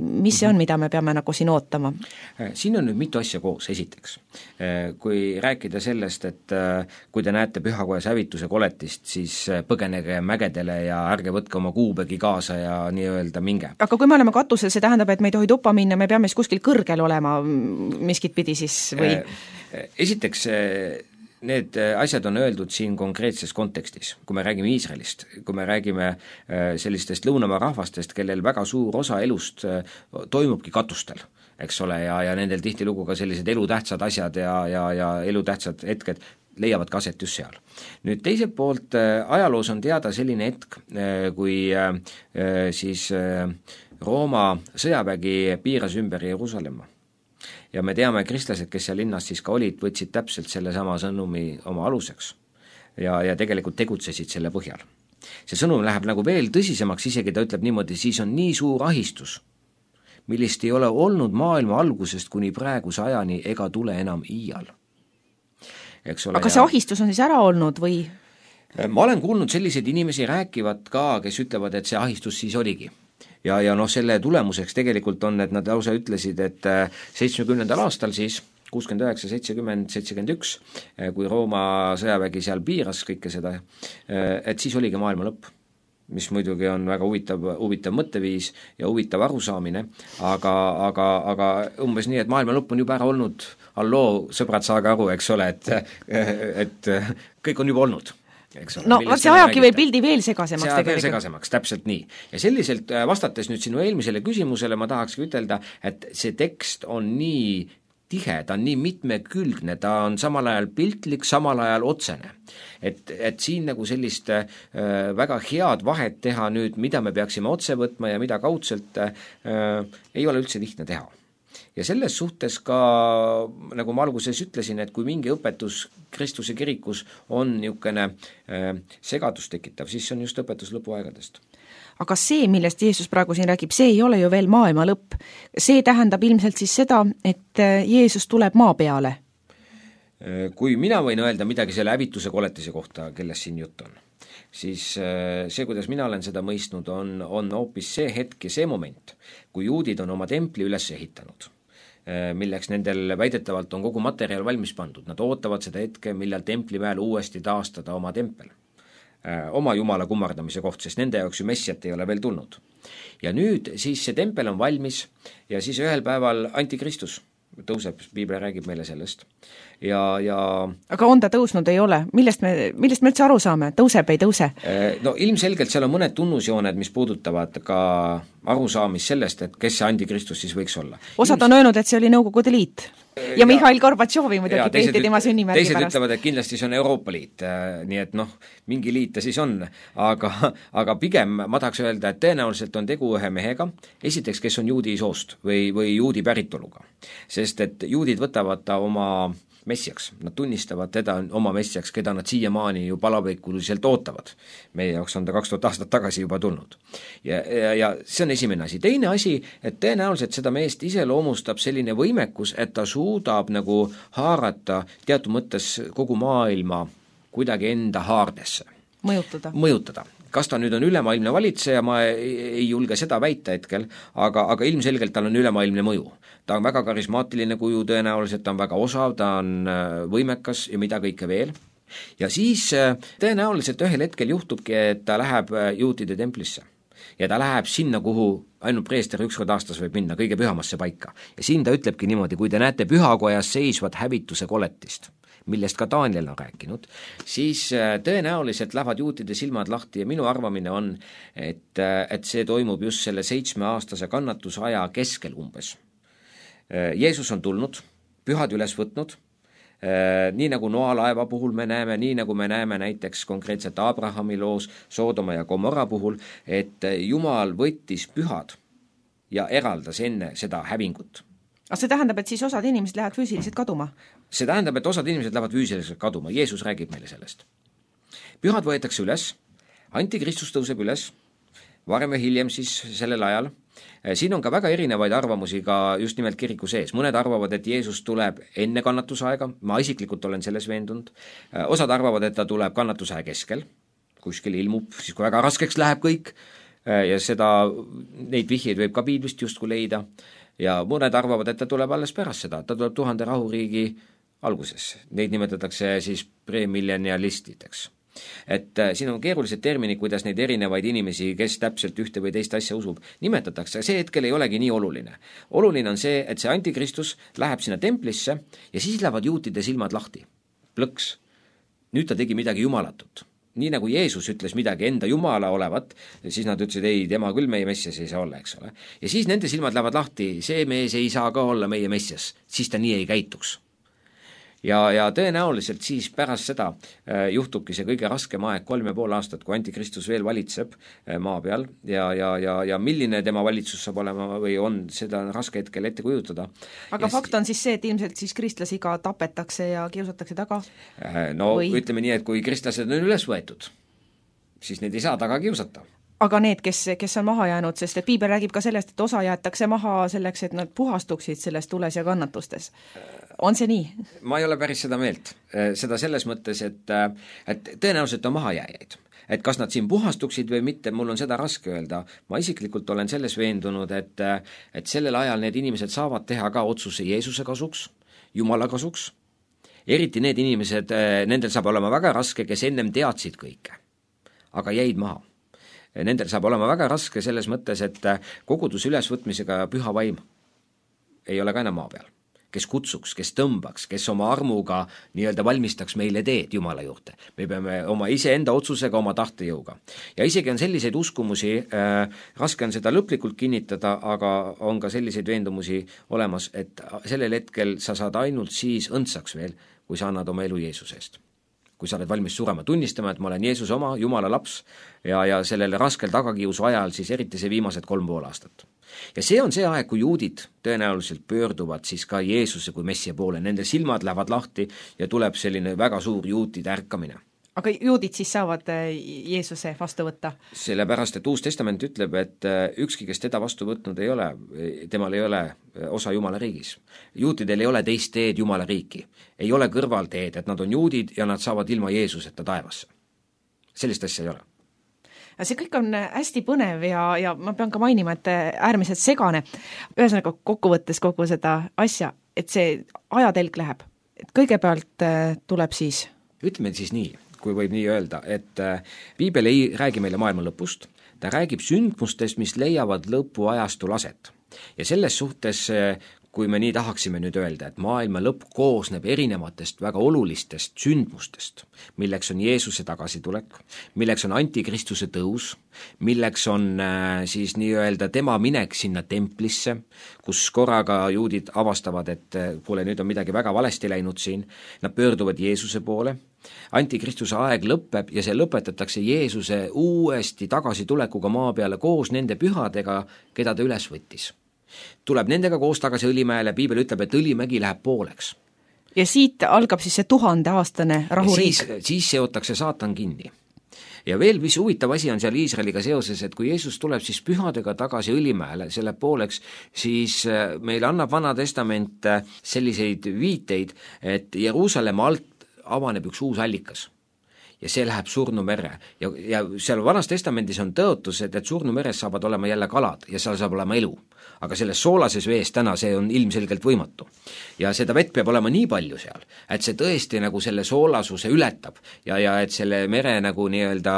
mis see on, mida me peame nagu siin ootama? Siin on nüüd mitu asja koos, esiteks. Kui rääkida sellest, et kui te näete pühakojas hävituse koletist, siis põgenege mägedele ja ärge võtke oma kuubegi kaasa ja nii-öelda minge. Aga kui me oleme katusel, see tähendab, et me ei tohi tuppa minna, me peame siis kuskil kõrgel olema miskit pidi siis või? Esiteks, need asjad on öeldud siin konkreetses kontekstis, kui me räägime Iisraelist, kui me räägime sellistest lõunamaa rahvastest, kellel väga suur osa elust toimubki katustel, eks ole, ja nendel tihtilugu ka sellised elutähtsad asjad ja elutähtsad hetked leiavad ka aset just seal. Nüüd teiselt poolt ajaloos on teada selline hetk, kui siis Rooma sõjavägi piiras ümber Jeruusalemma. Ja me teame, kristlased, kes seal linnas siis ka olid, võtsid täpselt selle sama sõnumi oma aluseks ja tegelikult tegutsesid selle põhjal. see sõnum läheb nagu veel tõsisemaks, isegi ta ütleb niimoodi, siis on nii suur ahistus, millist ei ole olnud maailma algusest kuni praeguse ajani ega tule enam iial. Aga see ahistus on siis ära olnud või? Ma olen kuulnud selliseid inimesi rääkivad ka, kes ütlevad, et see ahistus siis oligi. Ja selle tulemuseks tegelikult on, et nad lausa ütlesid, et 70. aastal siis 69, 70, 71, kui Rooma sõjavägi seal piiras kõike seda, et siis oligi maailma lõpp, mis muidugi on väga huvitav mõtteviis ja huvitav arusaamine, aga umbes nii, et maailma lõpp on juba ära olnud, alloo, sõbrad, saage aru, eks ole, et kõik on juba olnud. No see ajabki või pildi veel segasemaks tegelikult. See veel segasemaks, täpselt nii. Ja selliselt vastates nüüd sinu eelmisele küsimusele ma tahakski ütelda, et see tekst on nii tihe, ta on nii mitmekülgne, ta on samal ajal piltlik, samal ajal otsene. Et siin nagu sellist väga head vahet teha nüüd, mida me peaksime otse võtma ja mida kaudselt ei ole üldse lihtne teha. Ja selles suhtes ka, nagu ma alguses ütlesin, et kui mingi õpetus Kristuse kirikus on niisugune segadust tekitav, siis see on just õpetus lõpuaegadest. Aga see, millest Jeesus praegu siin räägib, see ei ole ju veel maailma lõpp. See tähendab ilmselt siis seda, et Jeesus tuleb maa peale. Kui mina võin öelda midagi selle hävituse koletise kohta, kellest siin jutt on, siis see, kuidas mina olen seda mõistnud, on hoopis see hetk ja see moment, kui juudid on oma templi üles ehitanud, milleks nendel väidetavalt on kogu materjal valmis pandud. Nad ootavad seda hetke, millal templi peal uuesti taastada oma tempel, oma jumala kummardamise koht, sest nende jaoks ju messiat ei ole veel tulnud. Ja nüüd siis see tempel on valmis ja siis ühel päeval antikristus tõuseb, Piibel räägib meile sellest. Aga on ta tõusnud, ei ole? Millest me üldse aru saame? Tõuseb, ei tõuse? No ilmselgelt seal on mõned tunnusjooned, mis puudutavad ka arusaamist sellest, et kes see antikristus siis võiks olla. Osad on öelnud, et see oli Nõukogude Liit. Ja Mihhail Gorbatšovi muidugi peeti tema sünnimärgi pärast. Teised ütlevad, et kindlasti see on Euroopa Liit, nii et mingi liit ta siis on, aga pigem ma tahaks öelda, et tõenäoliselt on tegu ühe mehega, esiteks, kes on juudi soost või juudi päritoluga, sest et juudid võtavad ta oma messiaks, nad tunnistavad teda oma messiaks, keda nad siiamaani ju palaveikuliselt ootavad. Meie jaoks on ta 2000 aastat tagasi juba tulnud. Ja see on esimene asi. Teine asi, et tõenäoliselt seda meest iseloomustab selline võimekus, et ta suudab nagu haarata teatud mõttes kogu maailma kuidagi enda haardesse. Mõjutada. Kas ta nüüd on ülemaailmne valitseja, ma ei julge seda väita hetkel, aga ilmselgelt tal on ülemaailmne mõju. Ta on väga karismaatiline kuju tõenäoliselt, ta on väga osav, ta on võimekas ja mida kõike veel. Ja siis tõenäoliselt ühel hetkel juhtubki, et ta läheb juutide templisse. Ja ta läheb sinna, kuhu ainult preester ükskord aastas võib minna, kõige pühamasse paika. Ja siin ta ütlebki niimoodi, kui te näete pühakojas seisvat hävituse koletist, millest ka Daniel on rääkinud, siis tõenäoliselt lähevad juutide silmad lahti ja minu arvamine on, et see toimub just selle 7-aastase kannatusaja keskel umbes. Jeesus on tulnud, pühad üles võtnud, nii nagu Noa laeva puhul me näeme, nii nagu me näeme näiteks konkreetselt Abrahami loos, Soodoma ja Gomorra puhul, et Jumal võttis pühad ja eraldas enne seda hävingut. Aga see tähendab, et siis osad inimesed lähevad füüsiliselt kaduma? See tähendab, et osad inimesed lähevad füüsiliselt kaduma, Jeesus räägib meile sellest. Pühad võetakse üles, antikristus tõuseb üles, varem ja hiljem siis sellel ajal. Siin on ka väga erinevaid arvamusi ka just nimelt kiriku sees. Mõned arvavad, et Jeesus tuleb enne kannatusaega, ma isiklikult olen selles veendunud. Osad arvavad, et ta tuleb kannatusaja keskel, kuskil ilmub, siis kui väga raskeks läheb kõik ja neid vihjeid võib ka piiblist justkui leida. Ja mõned arvavad, et ta tuleb alles pärast seda, ta tuleb 1000 rahuriigi alguses. Neid nimetatakse siis premillenialistideks. Et siin on keerulised terminid, kuidas neid erinevaid inimesi, kes täpselt ühte või teist asja usub, nimetatakse. See hetkel ei olegi nii oluline. Oluline on see, et see antikristus läheb sinna templisse ja siis lähevad juutide silmad lahti. Plõks. Nüüd ta tegi midagi jumalatut. Nii nagu Jeesus ütles midagi enda jumala olevat, siis nad ütlesid, ei, tema küll meie messias ei saa olla, eks ole. Ja siis nende silmad lähevad lahti, see mees ei saa ka olla meie messias, siis ta nii ei käituks. Ja tõenäoliselt siis pärast seda juhtubki see kõige raskem aeg 3,5 aastat, kui antikristus veel valitseb maa peal ja milline tema valitsus saab olema või on, seda on raske hetkel ette kujutada. Aga fakt on siis see, et ilmselt siis kristlasi ka tapetakse ja kiusatakse taga? No ütleme nii, et kui kristlased on üles võetud siis neid ei saa taga kiusata. Aga need, kes on maha jäänud, sest et piibel räägib ka sellest, et osa jäetakse maha selleks, et nad puhastuksid selles tules ja kannatustes. On see nii? Ma ei ole päris seda meelt. Seda selles mõttes, et tõenäoliselt on mahajääjaid. Et kas nad siin puhastuksid või mitte, mul on seda raske öelda. Ma isiklikult olen selles veendunud, et sellel ajal need inimesed saavad teha ka otsuse Jeesuse kasuks, Jumala kasuks. Eriti need inimesed, nendel saab olema väga raske, kes ennem teadsid kõike, aga jäid maha. Nendel saab olema väga raske selles mõttes, et koguduse ülesvõtmisega püha vaim ei ole ka enam maa peal. Kes kutsuks, kes tõmbaks, kes oma armuga nii-öelda valmistaks meile teed Jumala juurde. Me peame oma iseenda otsusega, oma tahtejõuga. Ja isegi on selliseid uskumusi, raske on seda lõplikult kinnitada, aga on ka selliseid veendumusi olemas, et sellel hetkel sa saad ainult siis õndsaks veel, kui sa annad oma elu Jeesusest. Kui sa oled valmis surema, tunnistama, et ma olen Jeesuse oma, Jumala laps ja sellel raskel tagakiusu ajal siis eriti see viimased 3,5 aastat. Ja see on see aeg, kui juudid tõenäoliselt pöörduvad siis ka Jeesuse kui messia poole, nende silmad lähevad lahti ja tuleb selline väga suur juutide ärkamine. Aga juudid siis saavad Jeesuse vastu võtta? Sellepärast, et Uus Testament ütleb, et ükski, kes teda vastu võtnud ei ole, temal ei ole osa Jumala riigis. Juutidel ei ole teist teed Jumala riiki. Ei ole kõrvalteed, et nad on juudid ja nad saavad ilma Jeesuseta taevasse. Sellist asja ei ole. See kõik on hästi põnev ja ma pean ka mainima, et äärmiselt segane. Ühesõnaga kokkuvõttes kogu seda asja, et see ajatelg läheb. Et kõigepealt tuleb siis... Ütleme siis nii, kui võib nii öelda, et piibel ei räägi meile maailma lõpust, ta räägib sündmustest, mis leiavad lõpuajastul aset. Ja selles suhtes, kui me nii tahaksime nüüd öelda, et maailma lõpp koosneb erinevatest väga olulistest sündmustest, milleks on Jeesuse tagasitulek, milleks on antikristuse tõus, milleks on siis nii-öelda tema minek sinna templisse, kus korraga juudid avastavad, et kuule, nüüd on midagi väga valesti läinud siin, nad pöörduvad Jeesuse poole, antikristuse aeg lõpeb ja see lõpetatakse Jeesuse uuesti tagasitulekuga maa peale koos nende pühadega, keda ta üles võttis. Tuleb nendega koos tagasi Õlimäele, piibel ütleb, et Õlimägi läheb pooleks. Ja siit algab siis see 1000-aastane rahuriik. Siis seotakse saatan kinni. Ja veel, mis huvitav asi on seal Iisraeliga seoses, et kui Jeesus tuleb siis pühadega tagasi Õlimäele, selle pooleks, siis meile annab Vana Testament selliseid viiteid, et Jeruusalemma alt avaneb üks uus allikas. Ja see läheb Surnumerre ja seal Vanas Testamendis on tõotus, et Surnumeres saavad olema jälle kalad ja seal saab olema elu. Aga selles soolases vees täna see on ilmselgelt võimatu. Ja seda vett peab olema nii palju seal, et see tõesti nagu selle soolasuse ületab ja et selle mere nagu nii-öelda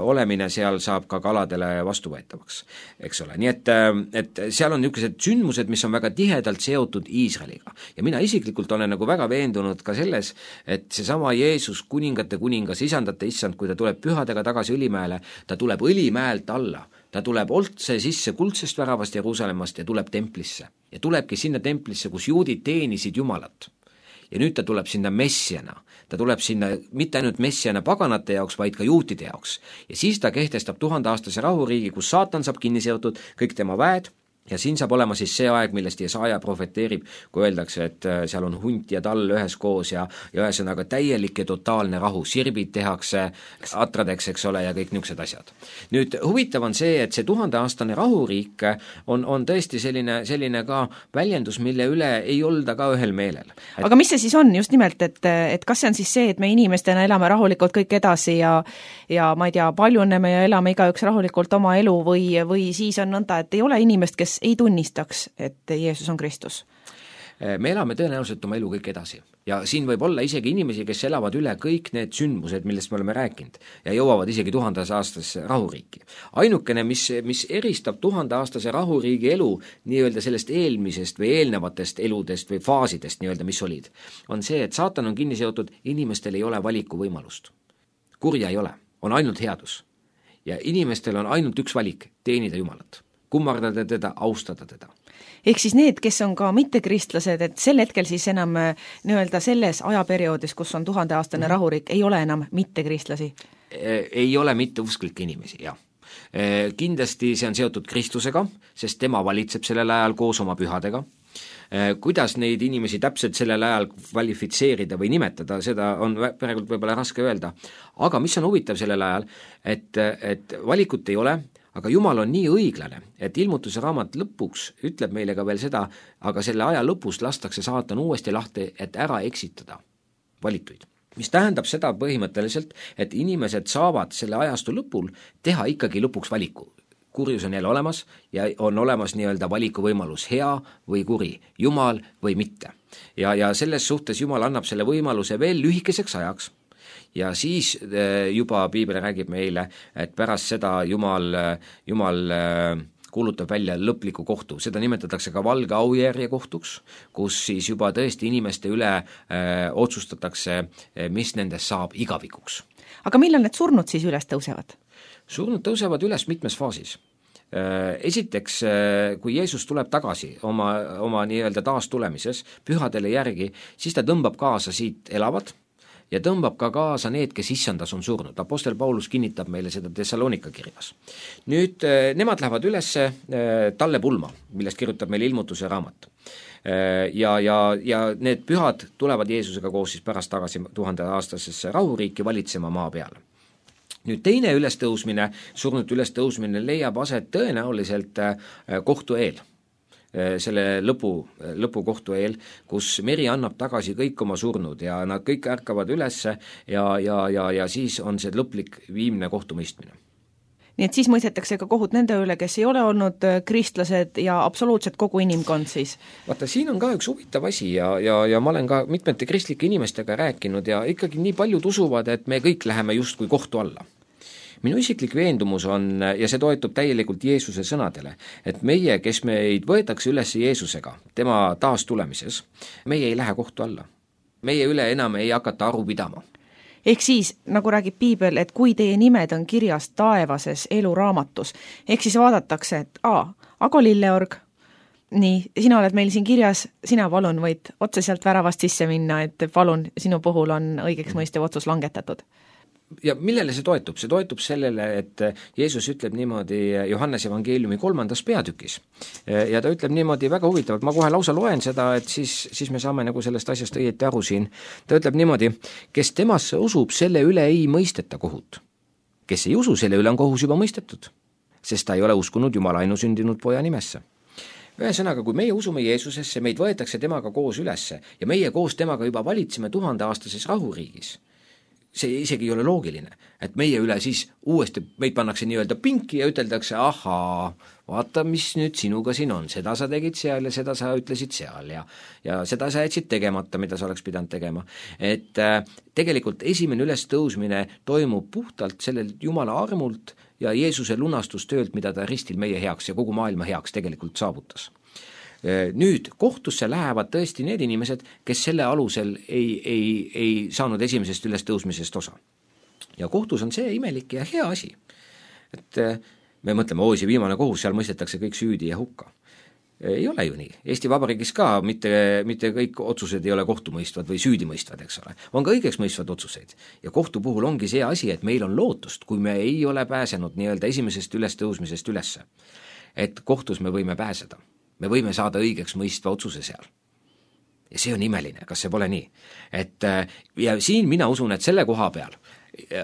olemine seal saab ka kaladele vastuvõetavaks, eks ole. Nii et seal on niisugused sündmused, mis on väga tihedalt seotud Iisraeliga. Ja mina isiklikult olen nagu väga veendunud ka selles, et seesama Jeesus, kuningate kuningas, isandate issand, kui ta tuleb pühadega tagasi Õlimäele, ta tuleb Õlimäelt alla. Ta tuleb otse sisse kuldsest väravast Jeruusalemmast ja tuleb templisse. Ja tulebki sinna templisse, kus juudid teenisid Jumalat. Ja nüüd ta tuleb sinna messiana. Ta tuleb sinna mitte ainult messiana paganate jaoks, vaid ka juutide jaoks. Ja siis ta kehtestab 1000-aastase rahuriigi, kus saatan saab kinni seotud, kõik tema väed. Ja siin saab olema siis see aeg, millest Jesaja profeteerib, kui öeldakse, et seal on hunt ja tall ühes koos ja ühesõnaga täielik ja totaalne rahu. Sirbid tehakse atradeks, eks ole, ja kõik niisugused asjad. Nüüd huvitav on see, et see 1000-aastane rahuriik on tõesti selline ka väljendus, mille üle ei olda ka ühel meelel. Aga mis see siis on just nimelt, et kas see on siis see, et me inimestena elame rahulikult kõik edasi ja ma ei tea, paljuneme ja elame igaüks rahulikult oma elu või siis on nõnda, et ei ole inimest, kes ei tunnistaks, et Jeesus on Kristus? Me elame tõenäoliselt oma elu kõik edasi ja siin võib olla isegi inimesi, kes elavad üle kõik need sündmused, millest me oleme rääkinud ja jõuavad isegi 1000-aastase rahuriiki. Ainukene, mis eristab 1000-aastase rahuriigi elu nii-öelda sellest eelmisest või eelnevatest eludest või faasidest nii-öelda, mis olid, on see, et saatan on kinni seotud, inimestel ei ole valikuvõimalust. Kurja ei ole, on ainult headus. Ja inimestel on ainult üks valik, teenida Jumalat. Kummardada teda, austada teda. Ehk siis need, kes on ka mittekristlased, et sel hetkel siis enam nii-öelda selles ajaperioodis, kus on 1000-aastane rahuriik, ei ole enam mittekristlasi? Ei ole mitteusklikke inimesi, jah. Kindlasti see on seotud Kristusega, sest tema valitseb sellel ajal koos oma pühadega Kuidas neid inimesi täpselt sellel ajal kvalifitseerida või nimetada, seda on praegu võib-olla raske öelda. Aga mis on huvitav sellel ajal, et valikut ei ole, aga Jumal on nii õiglane, et ilmutuse raamat lõpuks ütleb meile ka veel seda, aga selle aja lõpus lastakse saatan uuesti lahti, et ära eksitada valituid. Mis tähendab seda põhimõtteliselt, et inimesed saavad selle ajastu lõpul teha ikkagi lõpuks valiku. Kurjus on jälle olemas ja on olemas nii-öelda valikuvõimalus hea või kuri, Jumal või mitte. Ja selles suhtes Jumal annab selle võimaluse veel lühikeseks ajaks ja siis juba Piibel räägib meile, et pärast seda Jumal kuulutab välja lõpliku kohtu. Seda nimetatakse ka valge aujärje kohtuks, kus siis juba tõesti inimeste üle otsustatakse, mis nendest saab igavikuks. Aga millal need surnud siis üles tõusevad? Surnud tõusevad üles mitmes faasis. Esiteks, kui Jeesus tuleb tagasi oma nii-öelda taastulemises pühadele järgi, siis ta tõmbab kaasa siit elavad ja tõmbab ka kaasa need, kes issandas on surnud. Apostel Paulus kinnitab meile seda Thessalonika kirjas. Nüüd nemad lähevad üles talle pulma, millest kirjutab meile ilmutuse raamat. Ja need pühad tulevad Jeesusega koos siis pärast tagasi 1000-aastasesse rahuriiki valitsema maa peale. Nüüd teine ülestõusmine, surnud ülestõusmine leiab aset tõenäoliselt kohtu eel, selle lõpukohtu eel, kus meri annab tagasi kõik oma surnud ja nad kõik ärkavad ülesse ja siis on see lõplik viimne kohtumõistmine. Nii et siis mõistetakse ka kohut nende üle, kes ei ole olnud kristlased ja absoluutselt kogu inimkond siis. Vaata, siin on ka üks huvitav asi ja ma olen ka mitmete kristlike inimestega rääkinud ja ikkagi nii paljud usuvad, et me kõik läheme justkui kohtu alla. Minu isiklik veendumus on, ja see toetub täielikult Jeesuse sõnadele, et meie, kes meid võetakse üles Jeesusega, tema taastulemises, meie ei lähe kohtu alla. Meie üle enam ei hakata aru pidama. Ehk siis, nagu räägib Piibel, et kui teie nimed on kirjas taevases eluraamatus, ehk siis vaadatakse, et Ago Lilleorg, nii, sina oled meil siin kirjas, sina palun võid otse sealt väravast sisse minna, et palun, sinu puhul on õigeks mõistev otsus langetatud. Ja millele see toetub? See toetub sellele, et Jeesus ütleb niimoodi Johannes evangeeliumi 3. peatükis. Ja ta ütleb niimoodi väga huvitavalt, ma kohe lausa loen seda, et siis me saame nagu sellest asjast õieti aru siin. Ta ütleb niimoodi, kes temasse usub, selle üle ei mõisteta kohut. Kes ei usu, selle üle on kohus juba mõistetud, sest ta ei ole uskunud Jumala ainusündinud poja nimesse. Ühesõnaga, kui meie usume Jeesusesse, meid võetakse temaga koos ülesse ja meie koos temaga juba valitseme 1000-aastases rahuriigis. See isegi ei ole loogiline, et meie üle siis uuesti meid pannakse nii-öelda pinki ja üteldakse, ahaa, vaata, mis nüüd sinuga siin on, seda sa tegid seal ja seda sa ütlesid seal ja seda sa jätsid tegemata, mida sa oleks pidanud tegema. Et tegelikult esimene ülestõusmine toimub puhtalt sellel Jumala armult ja Jeesuse lunastustöölt, mida ta ristil meie heaks ja kogu maailma heaks tegelikult saavutas. Nüüd kohtusse lähevad tõesti need inimesed, kes selle alusel ei saanud esimesest ülestõusmisest osa. Ja kohtus on see imelik ja hea asi. Et me mõtleme, see viimane kohus, seal mõistetakse kõik süüdi ja hukka. Ei ole ju nii. Eesti Vabariigis ka mitte kõik otsused ei ole kohtumõistvad või süüdimõistvad, eks ole. On ka õigeks mõistvad otsuseid. Ja kohtu puhul ongi see asi, et meil on lootust, kui me ei ole pääsenud nii-öelda esimesest ülestõusmisest ülesse. Et kohtus me võime pääseda. Me võime saada õigeks mõistva otsuse seal. Ja see on imeline, kas see pole nii? Ja siin mina usun, et selle koha peal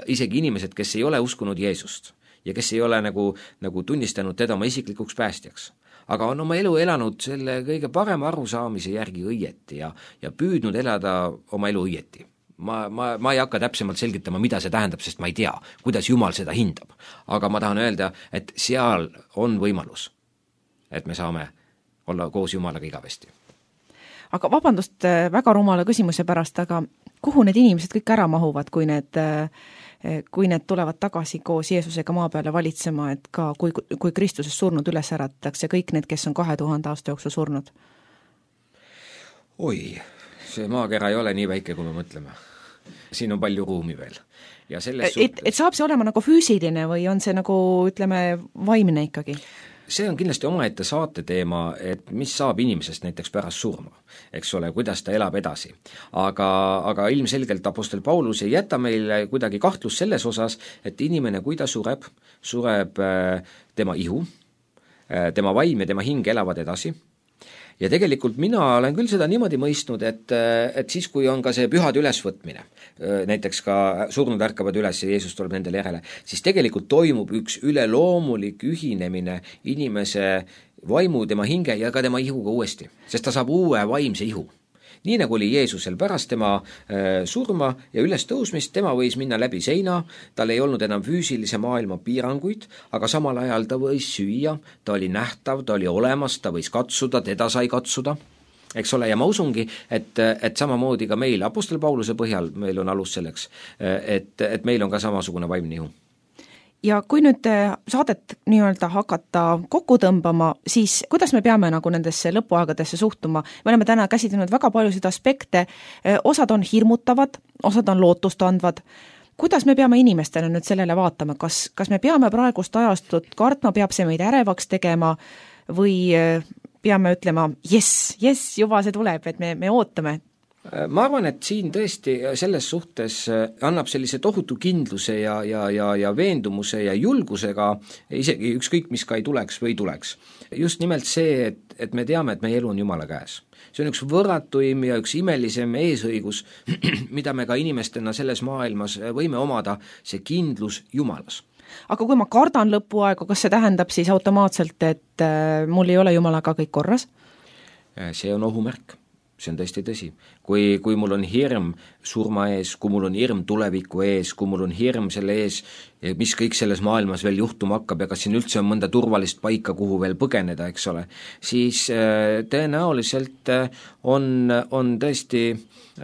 isegi inimesed, kes ei ole uskunud Jeesust ja kes ei ole nagu tunnistanud teda oma isiklikuks päästjaks, aga on oma elu elanud selle kõige parema arusaamise järgi õieti ja püüdnud elada oma elu õieti. Ma ei hakka täpsemalt selgitama, mida see tähendab, sest ma ei tea, kuidas Jumal seda hindab. Aga ma tahan öelda, et seal on võimalus, et me saame olla koos Jumalaga igavesti. Aga vabandust väga rumala küsimuse pärast, aga kuhu need inimesed kõik ära mahuvad, kui need tulevad tagasi koos Jeesusega maa peale valitsema, et ka kui Kristuses surnud üles äratatakse kõik need, kes on 2000 aasta jooksul surnud? See maakera ei ole nii väike, kui me mõtleme. Siin on palju ruumi veel. Ja et saab see olema nagu füüsiline või on see nagu, ütleme, vaimne ikkagi? See on kindlasti omaette saate teema, et mis saab inimesest näiteks pärast surma, eks ole, kuidas ta elab edasi. Aga ilmselgelt apostel Paulus ei jäta meile kuidagi kahtlus selles osas, et inimene, kui ta sureb tema ihu, tema vaim ja tema hing elavad edasi ja tegelikult mina olen küll seda niimoodi mõistnud, et siis, kui on ka see pühade ülesvõtmine, näiteks ka surnud ärkavad üles ja Jeesus tuleb nendele järele, siis tegelikult toimub üks üleloomulik ühinemine inimese vaimu, tema hinge ja ka tema ihuga uuesti, sest ta saab uue vaimse ihu. Nii nagu oli Jeesusel pärast tema surma ja ülestõusmist, tema võis minna läbi seina, tal ei olnud enam füüsilise maailma piiranguid, aga samal ajal ta võis süüa, ta oli nähtav, ta oli olemas, ta võis katsuda, teda sai katsuda, eks ole, ja ma usungi, et samamoodi ka meil, Apostel Pauluse põhjal meil on alus selleks, et meil on ka samasugune vaimne ihu. Ja kui nüüd saadet nii-öelda hakata kokku tõmbama, siis kuidas me peame nagu nendesse lõpuaegadesse suhtuma? Me oleme täna käsitlenud väga paljusid aspekte, osad on hirmutavad, osad on lootustandvad. Kuidas me peame inimestele nüüd sellele vaatama? Kas me peame praegust ajastut kartma, peab see meid ärevaks tegema või peame ütlema, yes, juba see tuleb, et me ootame? Ma arvan, et siin tõesti selles suhtes annab sellise tohutu kindluse ja veendumuse ja julgusega isegi ükskõik, mis ka ei tuleks või tuleks. Just nimelt see, et me teame, et meie elu on Jumala käes. See on üks võrratuim ja üks imelisem eesõigus, mida me ka inimestena selles maailmas võime omada, see kindlus Jumalas. Aga kui ma kardan lõpuaega, kas see tähendab siis automaatselt, et mul ei ole Jumalaga kõik korras? See on ohumärk. See on tõesti tõsi. Kui mul on hirm surma ees, kui mul on hirm tuleviku ees, kui mul on hirm selle ees, mis kõik selles maailmas veel juhtuma hakkab ja kas siin üldse on mõnda turvalist paika, kuhu veel põgeneda, eks ole, siis tõenäoliselt on tõesti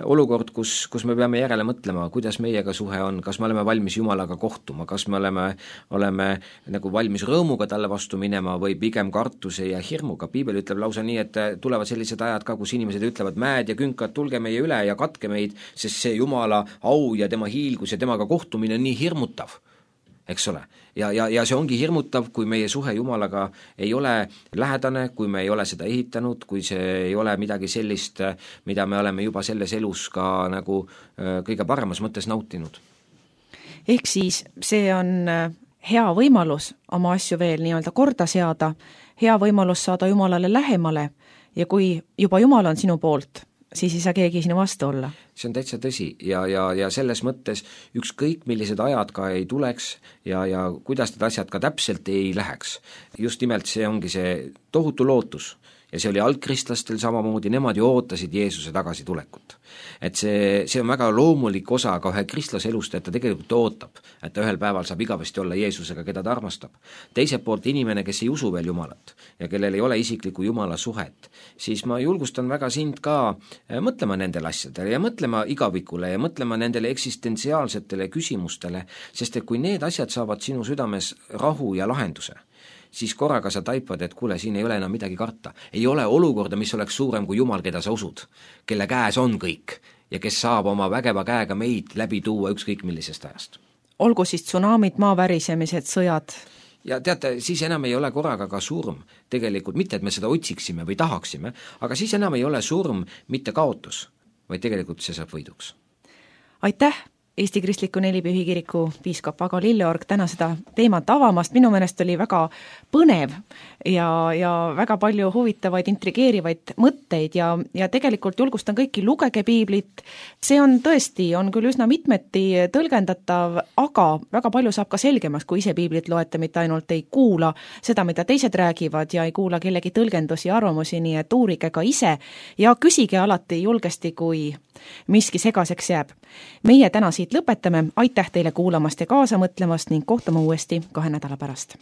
olukord, kus me peame järele mõtlema, kuidas meiega suhe on, kas me oleme valmis Jumalaga kohtuma, kas me oleme nagu valmis rõõmuga talle vastu minema või pigem kartuse ja hirmuga. Piibel ütleb lausa nii, et tulevad sellised ajad ka, kus inimesed ütlevad, mäed ja künkad, tulge meie üle ja katke meid, sest see Jumala au ja tema hiilgus ja temaga kohtumine on nii hirmutav, eks ole. Ja see ongi hirmutav, kui meie suhe Jumalaga ei ole lähedane, kui me ei ole seda ehitanud, kui see ei ole midagi sellist, mida me oleme juba selles elus ka nagu kõige paremas mõttes nautinud. Ehk siis see on hea võimalus oma asju veel nii-öelda korda seada, hea võimalus saada Jumalale lähemale ja kui juba Jumal on sinu poolt, siis ei saa keegi sinu vastu olla. See on täitsa tõsi ja selles mõttes ükskõik millised ajad ka ei tuleks ja kuidas need asjad ka täpselt ei läheks. Just nimelt see ongi see tohutu lootus ja see oli algkristlastel samamoodi, nemad ju ootasid Jeesuse tagasi tulekut. Et see on väga loomulik osa ka ühe kristlase elust, et ta tegelikult ootab, et ta ühel päeval saab igavesti olla Jeesusega, keda ta armastab. Teiselt poolt inimene, kes ei usu veel Jumalat ja kellel ei ole isiklikku Jumala suhet, siis ma julgustan väga sind ka mõtlema nendele asjadele ja mõtlema igavikule ja mõtlema nendele eksistentsiaalsetele küsimustele, sest et kui need asjad saavad sinu südames rahu ja lahenduse, siis korraga sa taipad, et kuule, siin ei ole enam midagi karta. Ei ole olukorda, mis oleks suurem kui Jumal, keda sa usud, kelle käes on kõik ja kes saab oma vägeva käega meid läbi tuua ükskõik millisest ajast. Olgu siis tsunamid, maavärisemised, sõjad. Ja teate, siis enam ei ole korraga ka surm. Tegelikult mitte, et me seda otsiksime või tahaksime, aga siis enam ei ole surm mitte kaotus, vaid tegelikult see saab võiduks. Aitäh! Eesti Kristliku Nelipühi Kiriku piiskop Ago Lilleorg täna seda teemat avamast. Minu meelest oli väga põnev ja väga palju huvitavaid, intrigeerivaid mõtteid ja tegelikult julgustan kõiki, lugege piiblit. See on tõesti, on küll üsna mitmeti tõlgendatav, aga väga palju saab ka selgemaks, kui ise piiblit loete, mitte ainult ei kuula seda, mida teised räägivad ja ei kuula kellegi tõlgendusi ja arvamusi, nii et uurige ka ise ja küsige alati julgesti, kui miski segaseks jääb. Meie täna siit lõpetame, aitäh teile kuulamast ja kaasa mõtlemast ning kohtume uuesti 2 nädala pärast.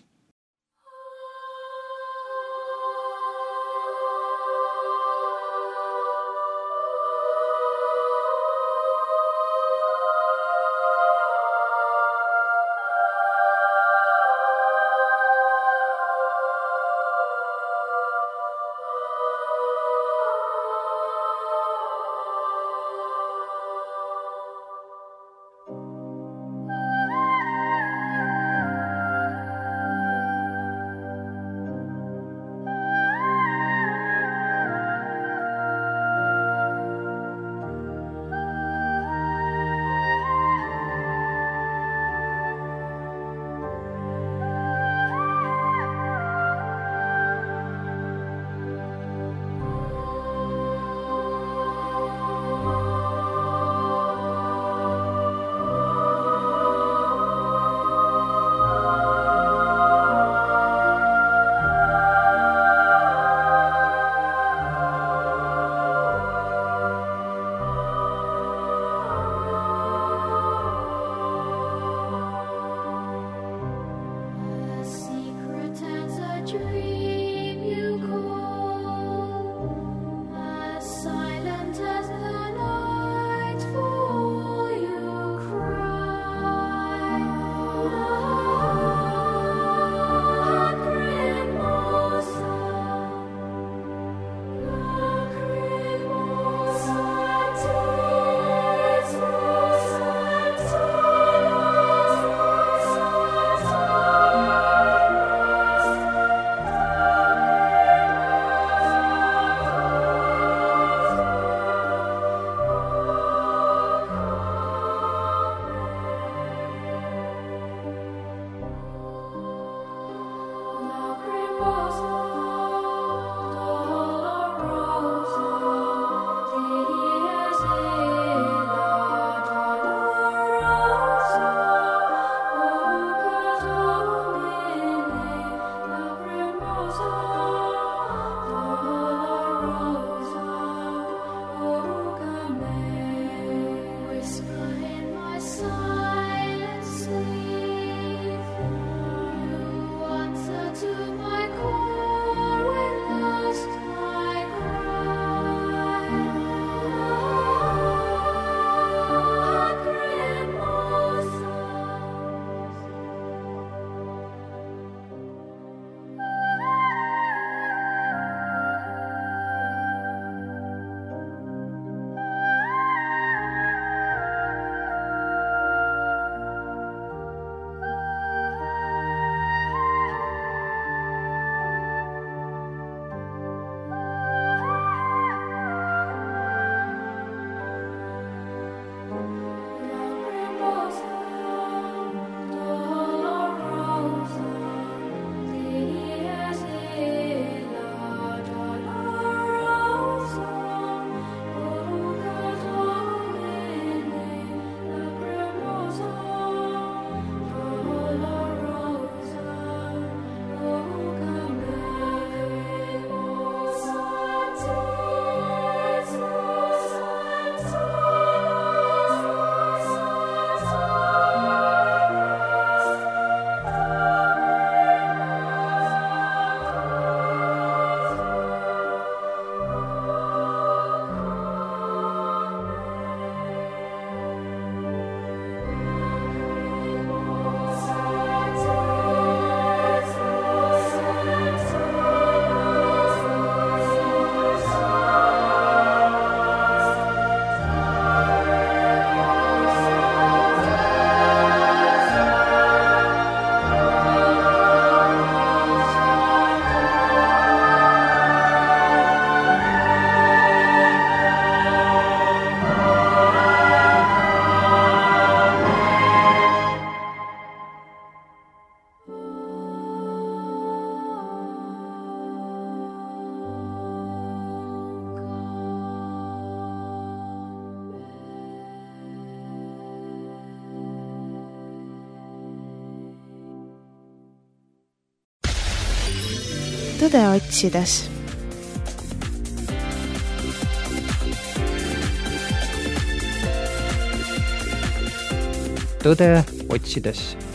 tõde otsides. Tõde otsides.